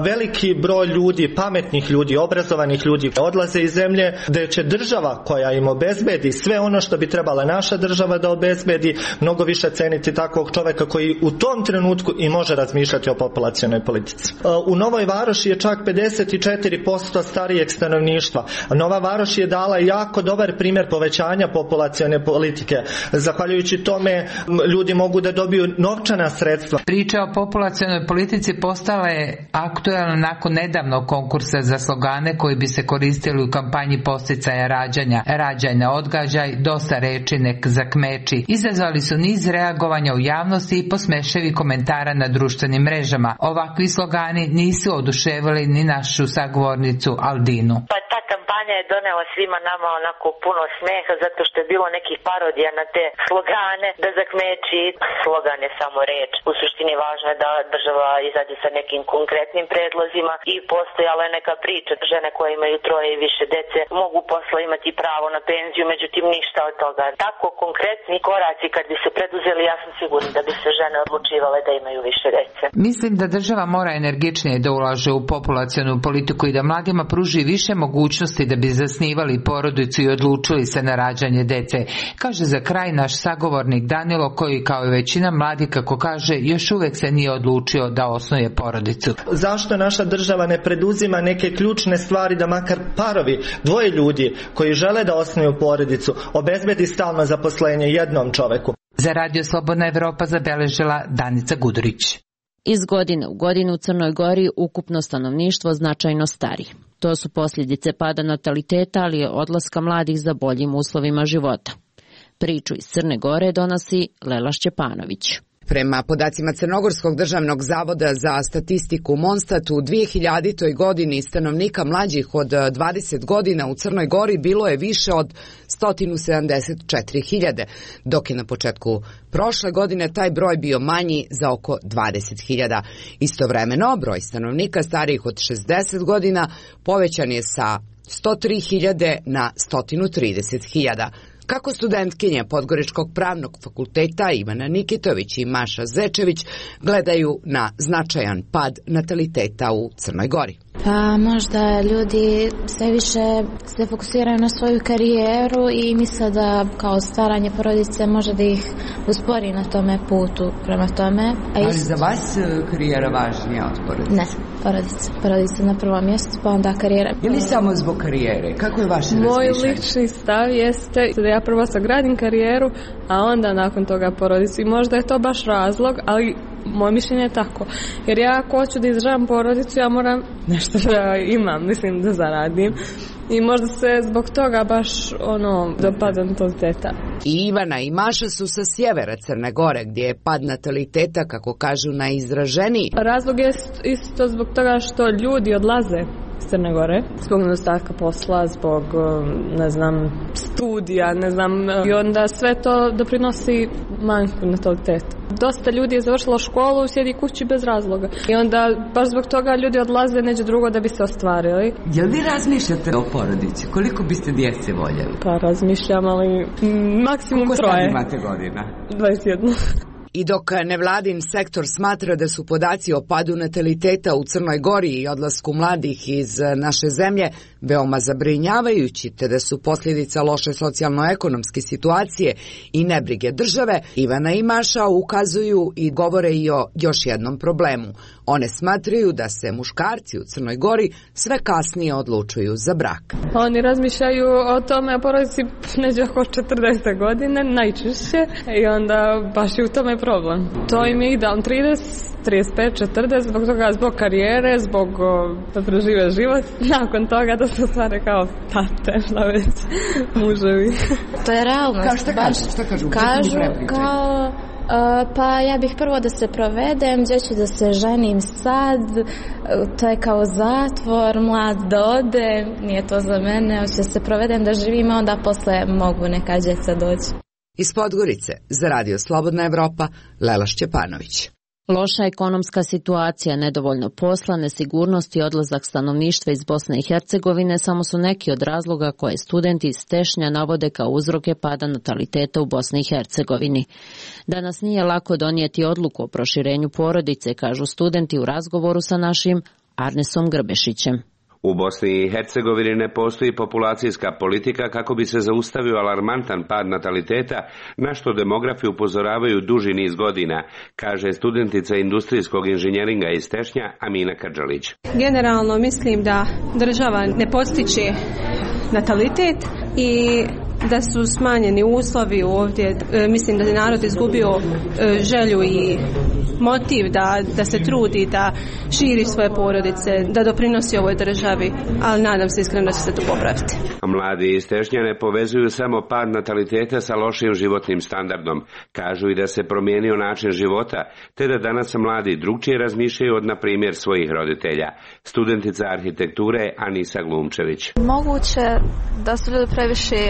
Speaker 21: veliki broj ljudi, pametnih ljudi, obrazovanih ljudi odlaze iz zemlje gdje će država koja im obezbedi sve ono što bi trebala naša država da obezbedi, mnogo više ceniti takvog čovjeka koji u tom trenutku i može razmišljati o populacionoj politici. U Novoj Varoši je čak 54% starijeg stanovništva. Nova Varoš je dala jako dobar primjer povećanja populacione politike. Zahvaljujući tome ljudi mogu da dobiju novčana sredstva.
Speaker 18: Priča o populacionoj politici postala je aktualna nakon nedavnog konkursa za slogane koji bi se koristili u kampanji podsticaja rađanja. Rađaj ne odgađaj, dosta reči nek zakmeči. Izazvali su niz reagovanja u javnosti i posmeševi komentara na društvenim mrežama. Ovakvi slogani nisu oduševili ni našu sagovornicu Aldinu.
Speaker 20: Pa ta kampanja kampanja je donela svima nama onako puno smeha zato što je bilo nekih parodija na te slogane, da zakmeći, slogan je samo reč. U suštini važno je da država izađe sa nekim konkretnim predlozima i postojala je neka priča. Žene koje imaju 3 i više dece mogu posle imati pravo na penziju, međutim ništa od toga. Tako konkretni koraci kad bi se preduzeli, ja sam sigurna da bi se žene odlučivale da imaju više dece.
Speaker 18: Mislim da država mora energičnije da ulaže u populacionu politiku i da mladima pruži više mogućnosti da bi zasnivali porodicu i odlučili se na rađanje dece, kaže za kraj naš sagovornik Danilo, koji kao i većina mladih, kako kaže, još uvek se nije odlučio da osnuje porodicu.
Speaker 21: Zašto naša država ne preduzima neke ključne stvari da makar parovi, 2 ljudi koji žele da osnuju porodicu, obezbedi stalno zaposlenje jednom čoveku?
Speaker 18: Za Radio Slobodna Evropa zabeležila Danica Gudurić.
Speaker 17: Iz godine u godinu u Crnoj Gori ukupno stanovništvo značajno stari. To su posljedice pada nataliteta, ali i odlaska mladih za boljim uslovima života. Priču iz Crne Gore donosi Lela Šćepanović.
Speaker 2: Prema podacima Crnogorskog državnog zavoda za statistiku Monstat, u 2000. godini stanovnika mlađih od 20 godina u Crnoj Gori bilo je više od 174.000, dok je na početku prošle godine taj broj bio manji za oko 20.000. Istovremeno, broj stanovnika starijih od 60 godina povećan je sa 103.000 na 130.000. Kako studentkinje Podgoričkog pravnog fakulteta Ivana Nikitović i Maša Zečević gledaju na značajan pad nataliteta u Crnoj Gori?
Speaker 22: Pa možda ljudi sve više se fokusiraju na svoju karijeru i misle da kao stvaranje porodice može da ih uspori na tome putu prema tome.
Speaker 15: Ali za vas karijera važnija od porodice?
Speaker 22: Ne, porodica na prvom mjestu, pa onda karijera.
Speaker 15: Ili samo zbog karijere? Kako je vaše razmišljanje?
Speaker 23: Moj lični stav jeste da ja prvo sagradim karijeru, a onda nakon toga porodicu. I možda je to baš razlog, ali moje mišljenje je tako. Jer ja ako hoću da izdržavam porodicu, ja moram nešto da imam, mislim da zaradim. I možda se zbog toga baš dopada nataliteta.
Speaker 2: I Ivana i Maša su sa sjevera Crne Gore, gdje je pad nataliteta, kako kažu, najizraženiji.
Speaker 23: Razlog je isto zbog toga što ljudi odlaze iz Crne Gore, zbog nedostatka posla, zbog, studija, i onda sve to doprinosi manjku nataliteta. Dosta ljudi je završilo školu, sjedi kući bez razloga. I onda baš zbog toga ljudi odlaze neđe drugo da bi se ostvarili.
Speaker 15: Jel vi razmišljate o porodici? Koliko biste djece voljeli?
Speaker 23: Pa razmišljam, ali maksimum 3.
Speaker 15: Koliko sad imate godina?
Speaker 23: 21.
Speaker 2: I dok nevladin sektor smatra da su podaci o padu nataliteta u Crnoj Gori i odlasku mladih iz naše zemlje veoma zabrinjavajući, te da su posljedica loše socijalno-ekonomske situacije i nebrige države, Ivana i Maša ukazuju i govore i o još jednom problemu. One smatraju da se muškarci u Crnoj Gori sve kasnije odlučuju za brak.
Speaker 23: Oni razmišljaju o tome, o porodici neđe oko 40 godine, najčešće, i onda baš je u tome problem. To im je idealno 30, 35, 40, zbog toga, zbog karijere, zbog da prežive život, nakon toga da se stvare kao tate, šta već, muževi.
Speaker 22: To je realnost.
Speaker 15: Šta kažu?
Speaker 22: Kažu kao... Pa ja bih prvo da se provedem, gdje ću da se ženim sad, to je kao zatvor, mlad da ode, nije to za mene, hoću da se provedem, da živim, onda posle mogu neka djeca doći.
Speaker 2: Iz Podgorice, za Radio Slobodna Evropa, Lela Šćepanović.
Speaker 17: Loša ekonomska situacija, nedovoljno posla, nesigurnost i odlazak stanovništva iz Bosne i Hercegovine samo su neki od razloga koje studenti iz Tešnja navode kao uzroke pada nataliteta u Bosni i Hercegovini. Danas nije lako donijeti odluku o proširenju porodice, kažu studenti u razgovoru sa našim Arnesom Grbešićem.
Speaker 24: U Bosni i Hercegovini ne postoji populacijska politika kako bi se zaustavio alarmantan pad nataliteta, na što demografi upozoravaju duži niz godina, kaže studentica industrijskog inženjeringa iz Tešnja Amina Kadžalić.
Speaker 25: Generalno mislim da država ne postiče natalitet i
Speaker 4: da su smanjeni uslovi ovdje. Mislim da je narod izgubio želju i motiv da se trudi, da širi svoje porodice, da doprinosi ovoj državi, ali nadam se iskreno da će se to popraviti.
Speaker 24: Mladi iz Tešnja ne povezuju samo pad nataliteta sa lošim životnim standardom. Kažu i da se promijenio način života, te da danas mladi drugčije razmišljaju od, na primjer, svojih roditelja. Studentica arhitekture Anisa Glumčević.
Speaker 5: Moguće da su ljudi previše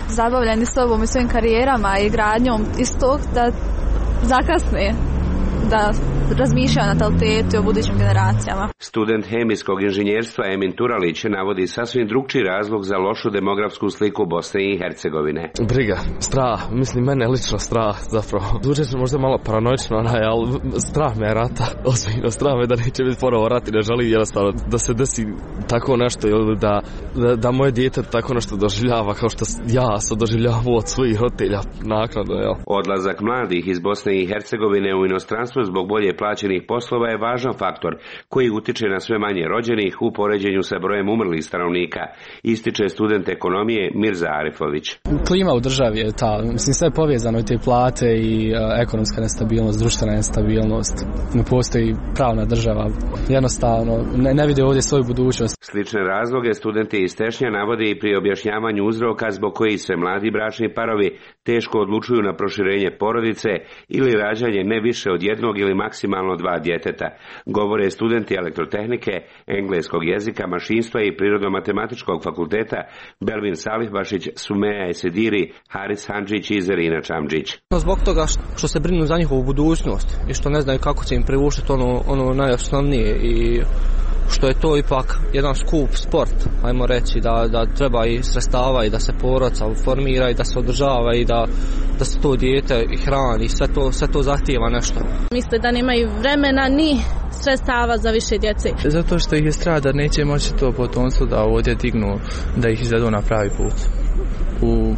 Speaker 5: zabavljeni sobom i svojim karijerama i gradnjom istog da zakasne da razmišljaju o natalitetu i o budućim generacijama.
Speaker 24: Student hemijskog inženjerstva Emin Turalić navodi sasvim drugčiji razlog za lošu demografsku sliku Bosne i Hercegovine.
Speaker 6: Briga, strah, mislim mene lično strah zapravo. Zvuči se možda malo paranoično, ali strah me je rata, ozbiljno strah me da neće biti ponovo rat i ne želim jednostavno da se desi tako nešto ili da moje dijete tako nešto doživljava kao što ja sam doživljavao od svojih roditelja naknadno.
Speaker 24: Odlazak mladih iz Bosne i Hercegovine u inostranstvo zbog bolje plaćenih poslova je važan faktor koji utiče na sve manje rođenih u poređenju sa brojem umrlih stanovnika, ističe student ekonomije Mirza Arifović.
Speaker 7: Klima u državi je ta, mislim sve je povezano i te plate i ekonomska nestabilnost, društvena nestabilnost, ne postoji pravna država, jednostavno ne vide ovdje svoju budućnost.
Speaker 24: Slične razloge studenti iz Tešnja navode i pri objašnjavanju uzroka zbog kojih se mladi bračni parovi teško odlučuju na proširenje porodice ili rađanje ne više od jednog ili maksimalno 2 djeteta. Govore studenti elektrotehnike, engleskog jezika, mašinstva i prirodno-matematičkog fakulteta Belvin Salihbašić, Sumeja Esediri, Haris Handžić i Zerina Čamđić.
Speaker 25: Zbog toga što se brinu za njihovu budućnost i što ne znaju kako će im privušiti ono najosnovnije i što je to ipak jedan skup sport, ajmo reći, da treba i sredstava i da se porodica formira i da se održava i da se to dijete i hrani, sve to zahtijeva nešto.
Speaker 5: Misle da nemaju vremena ni sredstava za više djece.
Speaker 25: Zato što ih je strah da neće moći to potomstvo da ovdje dignu, da ih izvedu na pravi put. U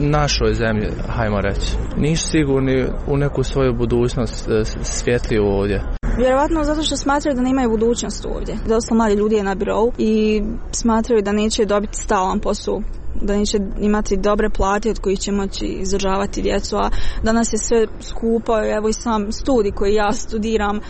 Speaker 25: našoj zemlji, hajmo reći. Nisu sigurni u neku svoju budućnost svjetliju ovdje.
Speaker 5: Vjerovatno zato što smatraju da nemaju budućnost ovdje. Dosta mladi ljudi je na birou i smatraju da neće dobiti stalan posao, da neće imati dobre plate od kojih će moći izdržavati djecu, a danas je sve skupo, evo i sam studij koji ja studiram,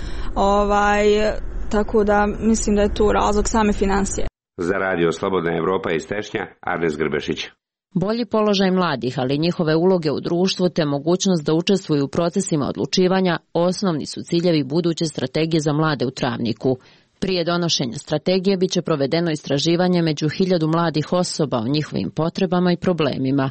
Speaker 5: tako da mislim da je to razlog same financije.
Speaker 24: Za Radio Slobodna Evropa iz Tešnja, Arnes Grbešić.
Speaker 17: Bolji položaj mladih, ali njihove uloge u društvu te mogućnost da učestvuju u procesima odlučivanja osnovni su ciljevi buduće strategije za mlade u Travniku. Prije donošenja strategije biće provedeno istraživanje među 1000 mladih osoba o njihovim potrebama i problemima.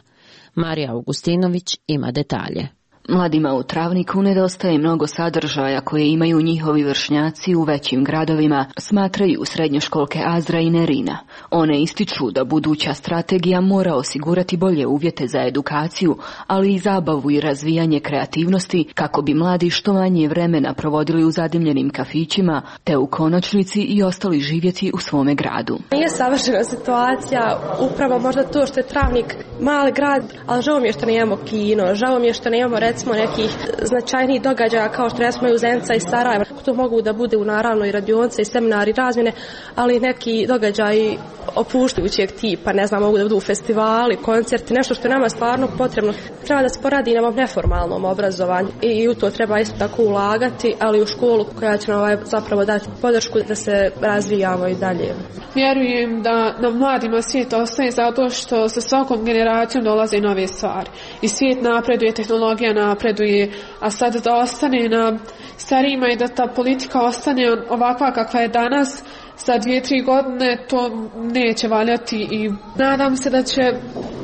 Speaker 17: Marija Augustinović ima detalje.
Speaker 26: Mladima u Travniku nedostaje mnogo sadržaja koje imaju njihovi vršnjaci u većim gradovima, smatraju srednjoškolke Azra i Nerina. One ističu da buduća strategija mora osigurati bolje uvjete za edukaciju, ali i zabavu i razvijanje kreativnosti kako bi mladi što manje vremena provodili u zadimljenim kafićima, te u konačnici i ostali živjeti u svome gradu.
Speaker 27: Nije savršena situacija, upravo možda to što je Travnik mali grad, ali žao mi je što nemamo kino, žao mi je što nemamo recimo nekih značajnijih događaja kao što recimo u Zenica i Sarajeva. To mogu da bude u naravno i radionice i seminari razmjene, ali neki događaji opuštajućeg tipa, ne znam, mogu da budu festivali, koncerti, nešto što je nama stvarno potrebno. Treba da se poradi na ovom neformalnom obrazovanju i u to treba isto tako ulagati, ali u školu koja će nam zapravo dati podršku da se razvijamo i dalje.
Speaker 28: Vjerujem da nam mladima svijet ostaje zato što sa svakom generacijom dolaze nove stvari. I svijet napreduje, tehnologija napreduje, a sad da ostane na starijima i da ta politika ostane ovakva kakva je danas, za 2-3 godine to neće valjati i nadam se da će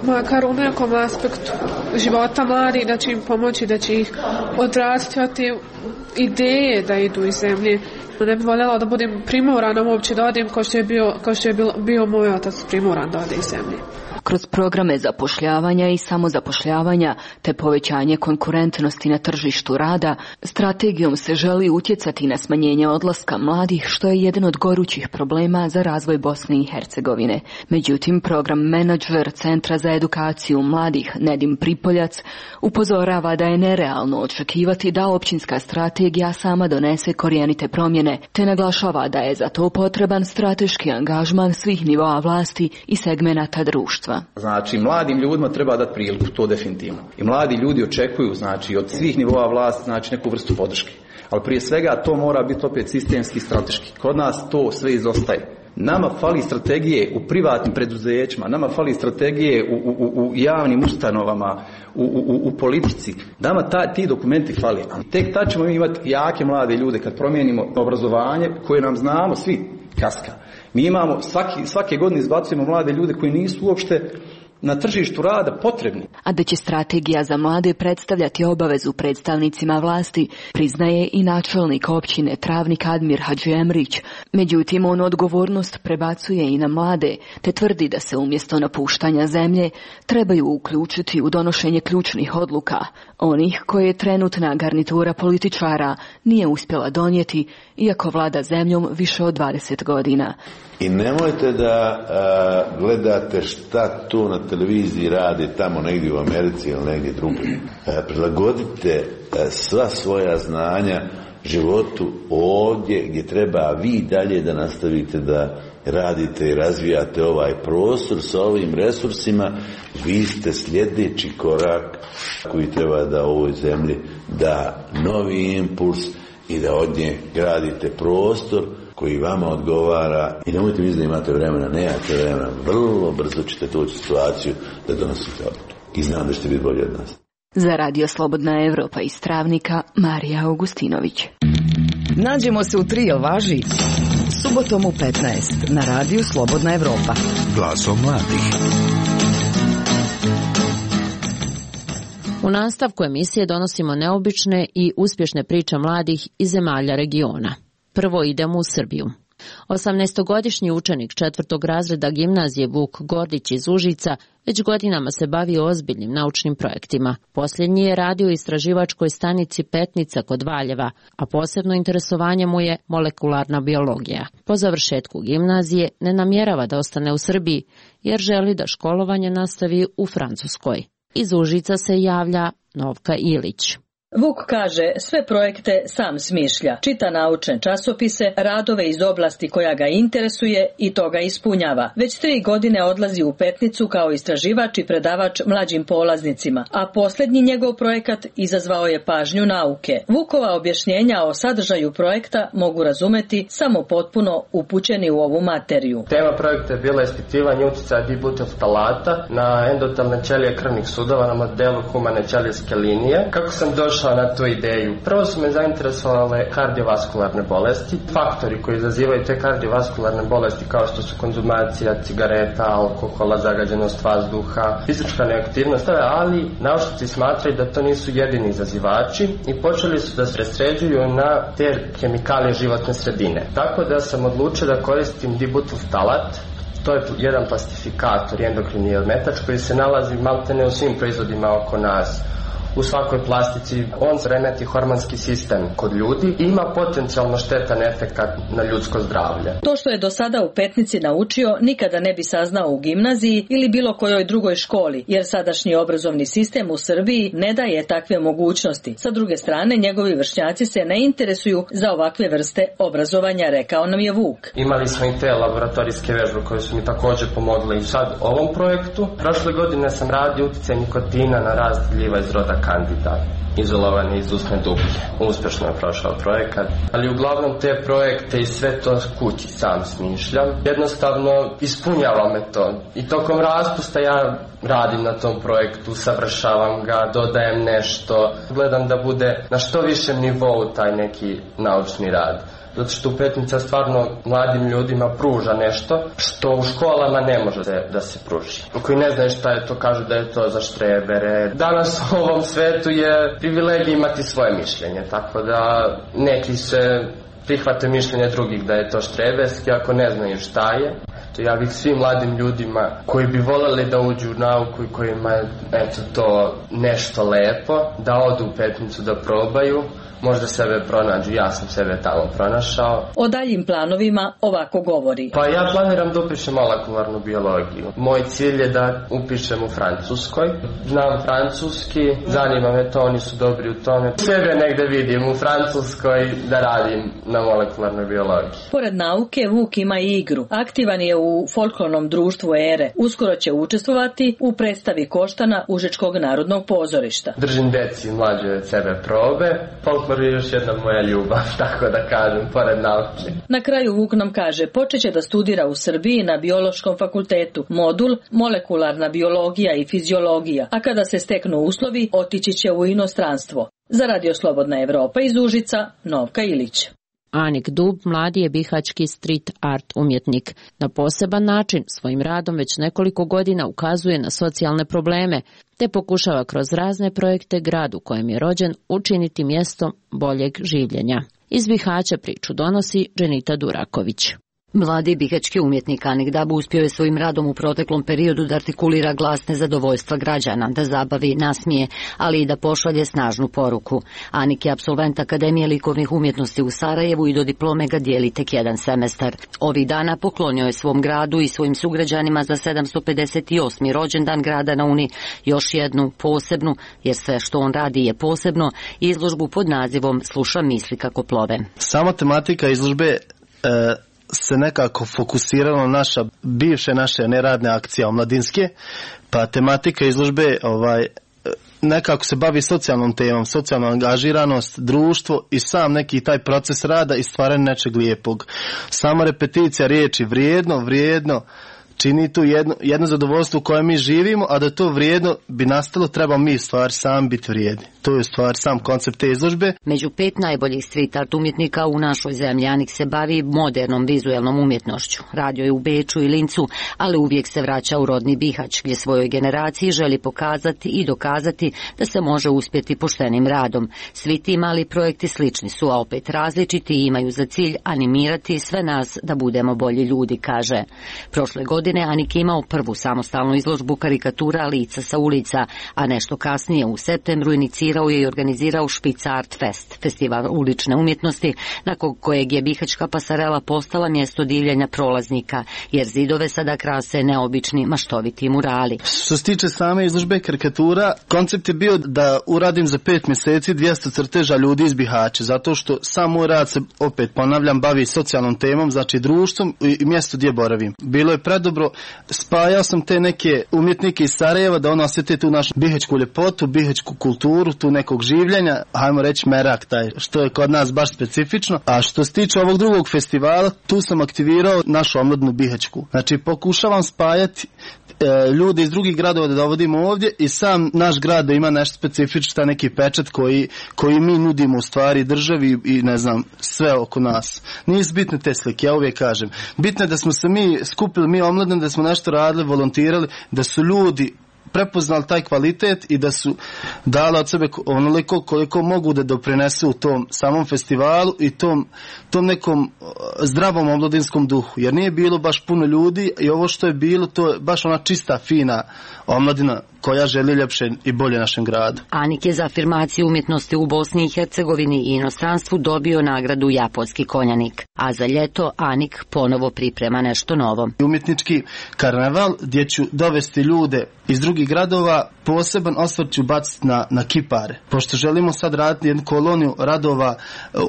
Speaker 28: makar u nekom aspektu života mladi da će im pomoći, da će ih odvratiti od te ideje da idu iz zemlje. Ne bih voljela da budem primorana uopće da odim kao što je bio moj otac primoran da ode iz zemlje.
Speaker 26: Kroz programe zapošljavanja i samozapošljavanja te povećanje konkurentnosti na tržištu rada, strategijom se želi utjecati na smanjenje odlaska mladih, što je jedan od gorućih problema za razvoj Bosne i Hercegovine. Međutim, program menadžer Centra za edukaciju mladih Nedim Pripoljac upozorava da je nerealno očekivati da općinska strategija sama donese korijenite promjene, te naglašava da je za to potreban strateški angažman svih nivoa vlasti i segmenata društva. društva.
Speaker 3: Znači, mladim ljudima treba dati priliku, to definitivno. I mladi ljudi očekuju, znači, od svih nivoa vlasti, znači, neku vrstu podrške. Ali prije svega to mora biti opet sistemski i strateški. Kod nas to sve izostaje. Nama fali strategije u privatnim preduzećima, nama fali strategije u javnim ustanovama, u politici. Nama ti dokumenti fali. Tek tad ćemo imati jake mlade ljude kad promijenimo obrazovanje koje nam znamo svi kaska. Mi imamo, svake godine izbacujemo mlade ljude koji nisu uopšte na tržištu rada potrebni.
Speaker 26: A da će strategija za mlade predstavljati obavezu predstavnicima vlasti, priznaje i načelnik općine Travnik Admir Hadžiemrić. Međutim, on odgovornost prebacuje i na mlade, te tvrdi da se umjesto napuštanja zemlje trebaju uključiti u donošenje ključnih odluka, onih koje trenutna garnitura političara nije uspjela donijeti, iako vlada zemljom više od 20 godina.
Speaker 8: I nemojte da gledate šta tu na televiziji radi tamo negdje u Americi ili negdje drugdje. Prilagodite sva svoja znanja životu ovdje gdje treba vi dalje da nastavite da radite i razvijate ovaj prostor sa ovim resursima. Vi ste sljedeći korak koji treba da ovoj zemlji da novi impuls i da od nje gradite prostor koji vama odgovara. I nemojte misliti da imate vremena, nemate vremena, vrlo brzo ćete doći u situaciju da donosite odluke. I znam da ćete biti bolji od nas.
Speaker 26: Za Radio Slobodna Evropa iz Travnika, Marija Augustinović.
Speaker 15: Nađemo se u 3, jel važi? Subotom u 15 na Radiju Slobodna Evropa.
Speaker 16: Glasom mladih.
Speaker 17: U nastavku emisije donosimo neobične i uspješne priče mladih iz zemalja regiona. Prvo idemo u Srbiju. 18-godišnji učenik 4. razreda gimnazije Vuk Gordić iz Užica već godinama se bavi ozbiljnim naučnim projektima. Posljednji je radio u istraživačkoj stanici Petnica kod Valjeva, a posebno interesovanje mu je molekularna biologija. Po završetku gimnazije ne namjerava da ostane u Srbiji, jer želi da školovanje nastavi u Francuskoj. Iz Užica se javlja Novka Ilić.
Speaker 9: Vuk kaže, sve projekte sam smišlja, čita naučne časopise, radove iz oblasti koja ga interesuje i to ga ispunjava. Već 3 godine odlazi u Petnicu kao istraživač i predavač mlađim polaznicima, a posljednji njegov projekat izazvao je pažnju nauke. Vukova objašnjenja o sadržaju projekta mogu razumeti samo potpuno upućeni u ovu materiju.
Speaker 10: Tema projekta je bila ispitivanje utjecaja dibutylftalata na endotelne ćelije krvnih sudova na modelu humane ćelijske linije. Kako sam došao na tu ideju? Prvo su me zainteresovale kardiovaskularne bolesti, faktori koji izazivaju te kardiovaskularne bolesti kao što su konzumacija cigareta, alkohola, zagađenost vazduha, fizička neaktivnost, ali naučnici smatraju da to nisu jedini izazivači i počeli su da se presređuju na te hemikalije životne sredine. Tako da sam odlučio da koristim dibutylftalat. To je jedan plastifikator i endokrini ometač koji se nalazi maltene u svim proizvodima oko nas. U svakoj plastici on remeti hormonski sistem kod ljudi i ima potencijalno štetan efekat na ljudsko zdravlje.
Speaker 9: To što je do sada u Petnici naučio nikada ne bi saznao u gimnaziji ili bilo kojoj drugoj školi, jer sadašnji obrazovni sistem u Srbiji ne daje takve mogućnosti. Sa druge strane, njegovi vršnjaci se ne interesuju za ovakve vrste obrazovanja, rekao nam je Vuk.
Speaker 10: Imali smo i te laboratorijske vežbe koje su mi također pomogle i sad ovom projektu. Prošle godine sam radio utjecaj nikotina na rast gljiva iz roda Candida, izolovani iz usne dublje. Uspješno je prošao projekat, ali uglavnom te projekte i sve to kući sam smišljam. Jednostavno ispunjava me to i tokom raspusta ja radim na tom projektu, savršavam ga, dodajem nešto, gledam da bude na što višem nivou taj neki naučni rad. Zato što u Petnica stvarno mladim ljudima pruža nešto što u školama ne može da se pruži. Koji ne znaju šta je to, kažu da je to za štrebere. Danas u ovom svetu je privilegija imati svoje mišljenje, tako da neki se prihvate mišljenje drugih da je to štreberski ako ne znaju šta je. Ja bih svim mladim ljudima koji bi voljeli da uđu u nauku i kojima je to nešto lepo, da odu u Petnicu da probaju, možda sebe pronađu, ja sam sebe tamo pronašao.
Speaker 9: O daljim planovima ovako govori.
Speaker 10: Pa ja planiram da upišem molekularnu biologiju. Moj cilj je da upišem u Francuskoj. Znam francuski, zanima me to, oni su dobri u tome. Sebe negde vidim u Francuskoj da radim na molekularnoj biologiji.
Speaker 9: Pored nauke, Vuk ima i igru. Aktivan je u folklornom društvu Ere. Uskoro će učestvovati u predstavi Koštana Užičkog narodnog pozorišta.
Speaker 10: Držim deci mlađe od sebe probe. Folklor je još jedna moja ljubav, tako da kažem, pored nauke.
Speaker 9: Na kraju Vuk nam kaže, počeće da studira u Srbiji na biološkom fakultetu modul molekularna biologija i fiziologija, a kada se steknu uslovi, otići će u inostranstvo. Za Radio Slobodna Evropa iz Užica, Novka Ilić.
Speaker 17: Anik Dub mladi je bihaćki street art umjetnik. Na poseban način svojim radom već nekoliko godina ukazuje na socijalne probleme, te pokušava kroz razne projekte grad u kojem je rođen učiniti mjestom boljeg življenja. Iz Bihaća priču donosi Dženita Duraković.
Speaker 26: Mladi bihaćki umjetnik Anik Dab uspio je svojim radom u proteklom periodu da artikulira glas nezadovoljstva građana, da zabavi, nasmije, ali i da pošalje snažnu poruku. Anik je apsolvent Akademije likovnih umjetnosti u Sarajevu i do diplome ga dijeli tek jedan semestar. Ovih dana poklonio je svom gradu i svojim sugrađanima za 758. rođendan grada na Uni još jednu posebnu, jer sve što on radi je posebno, izložbu pod nazivom Slušam misli kako plove.
Speaker 1: Sama tematika izložbe se nekako fokusiralo naše neradne akcije omladinske, pa tematika izložbe nekako se bavi socijalnom temom, socijalna angažiranost, društvo i sam neki taj proces rada i stvaranje nečeg lijepog. Sama repeticija riječi vrijedno čini tu jedno zadovoljstvo u kojem mi živimo, a da to vrijedno bi nastalo, treba mi stvari sami biti vrijedni. To je stvar sam koncept te izložbe.
Speaker 26: Među 5 najboljih street art umjetnika u našoj zemlji Anik se bavi modernom vizuelnom umjetnošću. Radio je u Beču i Lincu, ali uvijek se vraća u rodni Bihać, gdje svojoj generaciji želi pokazati i dokazati da se može uspjeti poštenim radom. Svi ti mali projekti slični su, a opet različiti i imaju za cilj animirati sve nas da budemo bolji ljudi, kaže. Prošle godine Anik je imao prvu samostalnu izložbu karikatura lica sa ulica, a nešto kasnije u septembru inicirao je i organizirao Špic Art Fest, festival ulične umjetnosti, nakon kojeg je bihaćka pasarela postala mjesto divljenja prolaznika, jer zidove sada krase neobični maštoviti murali.
Speaker 1: Što se tiče same izložbe karikatura, koncept je bio da uradim za 5 mjeseci 200 crteža ljudi iz Bihaća, zato što sam moj rad se, opet ponavljam, bavi socijalnom temom, znači društvom i mjesto gdje boravim. Bilo je predobro, spajao sam te neke umjetnike iz Sarajeva da ono osjete tu našu bihaćku ljepotu, bihaćku kulturu, tu nekog življenja, hajmo reći merak taj, što je kod nas baš specifično. A što se tiče ovog drugog festivala, tu sam aktivirao našu omladnu bihaćku. Znači pokušavam spajati ljude iz drugih gradova da dovodimo ovdje i sam naš grad da ima nešto specifično, neki pečat koji mi nudimo u stvari državi i ne znam, sve oko nas. Nisu bitne te slike, ja uvijek kažem. Bitno je da smo se mi skupili, mi omladni, da smo nešto radili, volontirali, da su ljudi prepoznali taj kvalitet i da su dali od sebe onoliko koliko mogu da doprinesu u tom samom festivalu i tom nekom zdravom omladinskom duhu. Jer nije bilo baš puno ljudi i ovo što je bilo, to je baš ona čista, fina omladina koja želi ljepše i bolje našem gradu.
Speaker 26: Anik je za afirmaciju umjetnosti u Bosni i Hercegovini i inostranstvu dobio nagradu Japonski konjanik, a za ljeto Anik ponovo priprema nešto novo.
Speaker 1: Umjetnički karneval gdje ću dovesti ljude iz drugih gradova, poseban osvrt ću baciti na kipare. Pošto želimo sad raditi jednu koloniju radova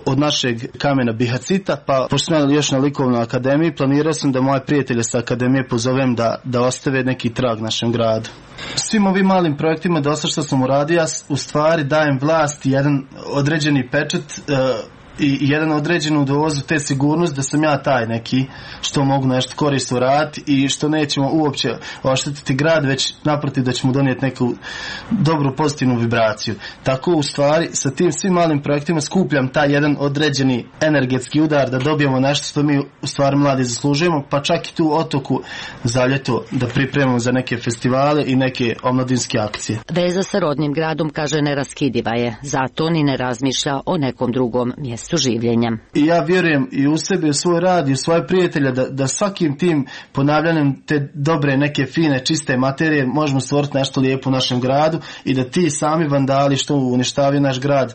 Speaker 1: od našeg kamena Bihacita, pa pošto sam još na likovnoj akademiji, planirao sam da moje prijatelje sa akademije pozovem da ostave neki trag našem gradu. Svim ovim malim projektima dosta što sam uradio, ja u stvari dajem vlast jedan određeni pečat i jedan određenu dozu te sigurnost da sam ja taj neki što mogu nešto korisno raditi i što nećemo uopće oštetiti grad, već naprotiv da ćemo donijeti neku dobru pozitivnu vibraciju. Tako u stvari sa tim svim malim projektima skupljam taj jedan određeni energetski udar da dobijemo nešto što mi u stvari mladi zaslužujemo, pa čak i tu otoku za ljeto da pripremamo za neke festivale i neke omladinske akcije.
Speaker 26: Veza sa rodnim gradom, kaže, neraskidiva je, zato ni ne razmišlja o nekom drugom mjestu življenja.
Speaker 1: I ja vjerujem i u sebe, u svoj rad i u svoje prijatelje da svakim tim ponavljanjem te dobre, neke fine, čiste materije možemo stvoriti nešto lijepo u našem gradu i da ti sami vandali što uništavaju naš grad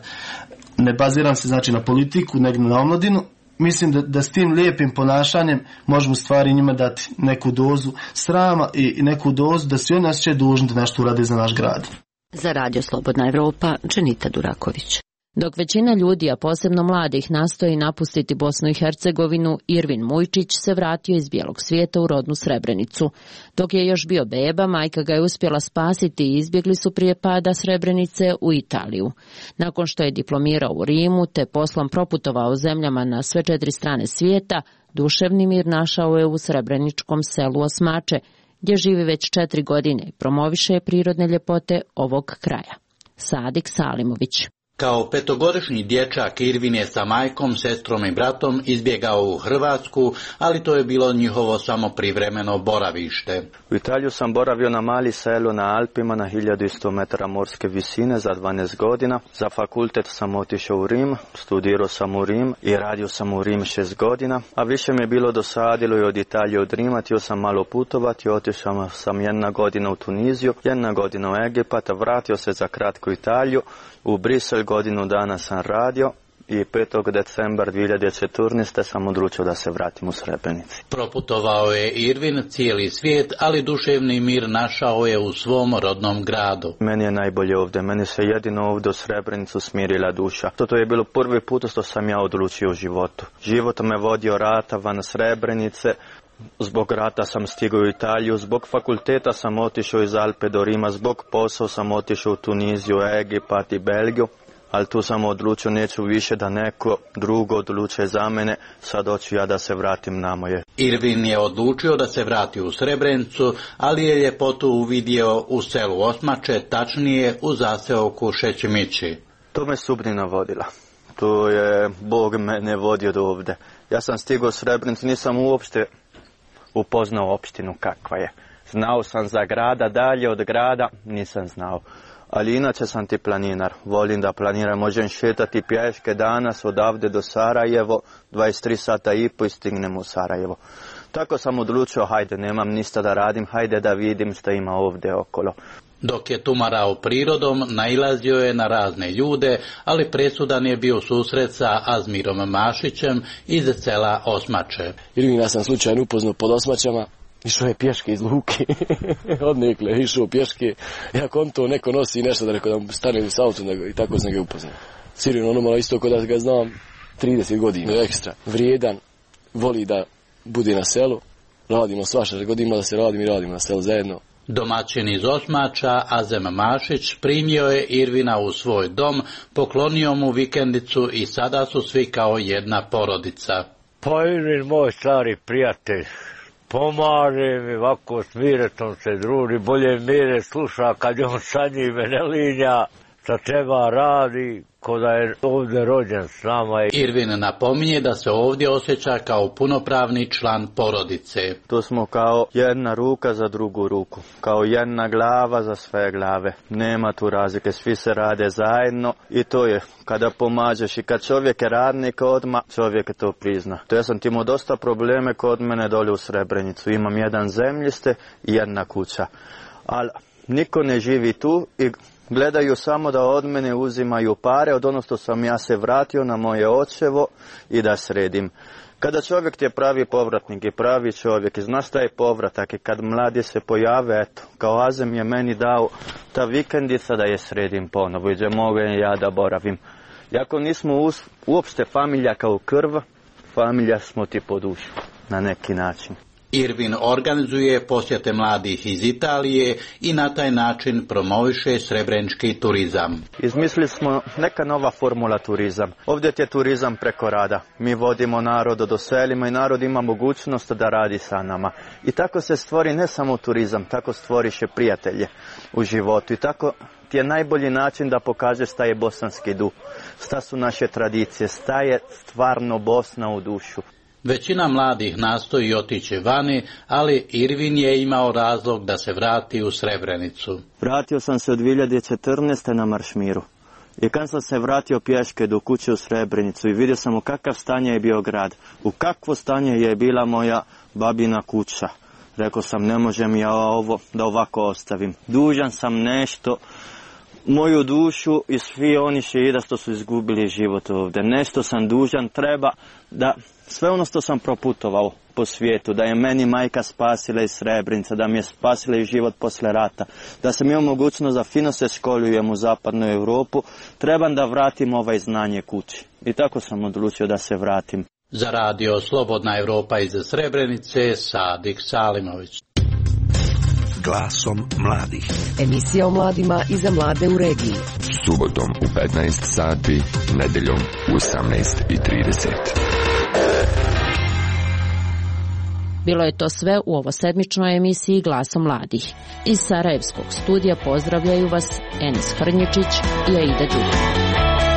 Speaker 1: ne baziram se znači na politiku, nego na omladinu. Mislim da s tim lijepim ponašanjem možemo stvari njima dati neku dozu srama i neku dozu da svi oni osjećaju dužni da nešto urade za naš grad.
Speaker 17: Za Radio Slobodna Evropa, Dženita Duraković. Dok većina ljudi, a posebno mladih, nastoji napustiti Bosnu i Hercegovinu, Irvin Mujčić se vratio iz bijelog svijeta u rodnu Srebrenicu. Dok je još bio beba, majka ga je uspjela spasiti i izbjegli su prije pada Srebrenice u Italiju. Nakon što je diplomirao u Rimu te poslom proputovao zemljama na sve 4 strane svijeta, duševni mir našao je u srebreničkom selu Osmače, gdje živi već 4 godine i promoviše prirodne ljepote ovog kraja. Sadik Salimović.
Speaker 11: Kao 5-godišnji dječak Irvin je sa majkom, sestrom i bratom izbjegao u Hrvatsku, ali to je bilo njihovo samo privremeno boravište.
Speaker 12: U Italiju sam boravio na mali selu na Alpima na 1100 metara morske visine za 12 godina. Za fakultet sam otišao u Rim, studirao sam u Rim i radio sam u Rim 6 godina, a više mi je bilo dosadilo i od Italije od Rima, htio sam malo putovati, otišao sam 1 godina u Tuniziju, 1 godina u Egipat, vratio se za kratku Italiju, u Brisel godinu dana sam radio i 5. decembra 2014. sam odlučio da se vratim u Srebrenici.
Speaker 11: Proputovao je Irvin cijeli svijet, ali duševni mir našao je u svom rodnom gradu.
Speaker 12: Meni je najbolje ovdje, meni se jedino ovdje u Srebrenicu smirila duša. To je bilo prvi put što sam ja odlučio u životu. Život me vodio rata van Srebrenice. Zbog rata sam stigao u Italiju, zbog fakulteta sam otišao iz Alpe do Rima, zbog posla sam otišao u Tuniziju, Egipat i Belgiju, ali tu sam odlučio neću više da neko drugo odluče za mene, sad hoću ja da se vratim na moje.
Speaker 11: Irvin je odlučio da se vrati u Srebrenicu, ali je ljepotu uvidio u selu Osmače, tačnije u zaseoku Šećimići.
Speaker 12: To me sudbina vodila. To je Bog mene vodio do ovdje. Ja sam stigao u Srebrenicu, nisam uopšte upoznao opštinu kakva je. Znao sam za grada, dalje od grada nisam znao. Ali inače sam ti planinar. Volim da planiram, možem šetati pješke danas odavde do Sarajevo, 23 sata i po i stignem u Sarajevo. Tako sam odlučio, hajde, nemam ništa da radim, hajde da vidim što ima ovdje okolo.
Speaker 11: Dok je tumarao prirodom, nailazio je na razne ljude, ali presudan je bio susret sa Azmirom Mašićem iz sela Osmače.
Speaker 6: Irvina sam slučajno upoznao pod Osmačama, išao je pješke iz luke, odnekle, išao pješke, ja konto neko nosi nešto da rekao da stane s autom i tako sam ga upoznao. Sirino ono malo isto kod da ga znam 30 godina ekstra, vrijedan, voli da bude na selu, radimo svašta, godina da se radimo na selu zajedno.
Speaker 11: Domaćin iz Osmača, Azem Mašić, primio je Irvina u svoj dom, poklonio mu vikendicu i sada su svi kao jedna porodica.
Speaker 13: Pa Irvin, moj stari prijatelj, pomaže mi, ovako s Miretom se druži, bolje Mire sluša kad je on sa njime ne linja, šta treba radi, ko da je ovdje rođen s nama.
Speaker 11: Irvin napominje da se ovdje osjeća kao punopravni član porodice.
Speaker 12: Tu smo kao jedna ruka za drugu ruku, kao jedna glava za sve glave. Nema tu razlike, svi se rade zajedno i to je kada pomažeš i kad čovjek je radnik odmah, čovjek to prizna. To ja sam imao dosta probleme kod mene dolje u Srebrenicu. Imam jedan zemljište i jedna kuća, ali niko ne živi tu i gledaju samo da od mene uzimaju pare od ono što sam ja se vratio na moje očevo i da sredim. Kada čovjek ti je pravi povratnik i pravi čovjek i znaš šta je povratak i kad mladi se pojave, eto, kao Azem je meni dao ta vikendica da je sredim ponovo i da mogu ja da boravim. Iako nismo uopšte familija kao krv, familija smo ti po dušu na neki način.
Speaker 11: Irvin organizuje posjete mladih iz Italije i na taj način promoviše srebrenički turizam.
Speaker 12: Izmislili smo neka nova formula turizam. Ovdje je turizam preko rada. Mi vodimo narod do selima i narod ima mogućnost da radi sa nama. I tako se stvori ne samo turizam, tako stvoriše prijatelje u životu. I tako ti je najbolji način da pokažeš šta je bosanski duh, šta su naše tradicije, šta je stvarno Bosna u dušu.
Speaker 11: Većina mladih nastoji otići vani, ali Irvin je imao razlog da se vrati u Srebrenicu.
Speaker 12: Vratio sam se od 2014. na Maršmiru. I kad sam se vratio pješke do kuće u Srebrenicu i vidio sam u kakav stanje je bio grad, u kakvo stanje je bila moja babina kuća. Rekao sam, ne možem ja ovo da ovako ostavim. Dužan sam nešto moju dušu i svi oni šehida što su izgubili život ovdje. Nešto sam dužan, treba da sve ono što sam proputovao po svijetu, da je meni majka spasila iz Srebrenice, da mi je spasila i život posle rata, da sam imao mogućnost da fino se školujem u zapadnu Europu, trebam da vratim ovaj znanje kući. I tako sam odlučio da se vratim.
Speaker 11: Za radio Slobodna Europa iz Srebrenice, Sadik Salimović.
Speaker 2: Glasom mladih.
Speaker 15: Emisija o mladima i za mlade u regiji.
Speaker 2: Subotom u 15 sati, nedeljom u 18:30.
Speaker 17: Bilo je to sve u ovosedmičnoj emisiji Glasa mladih. Iz Sarajevskog studija pozdravljaju vas Enis Hrnječić i Aida Đuka.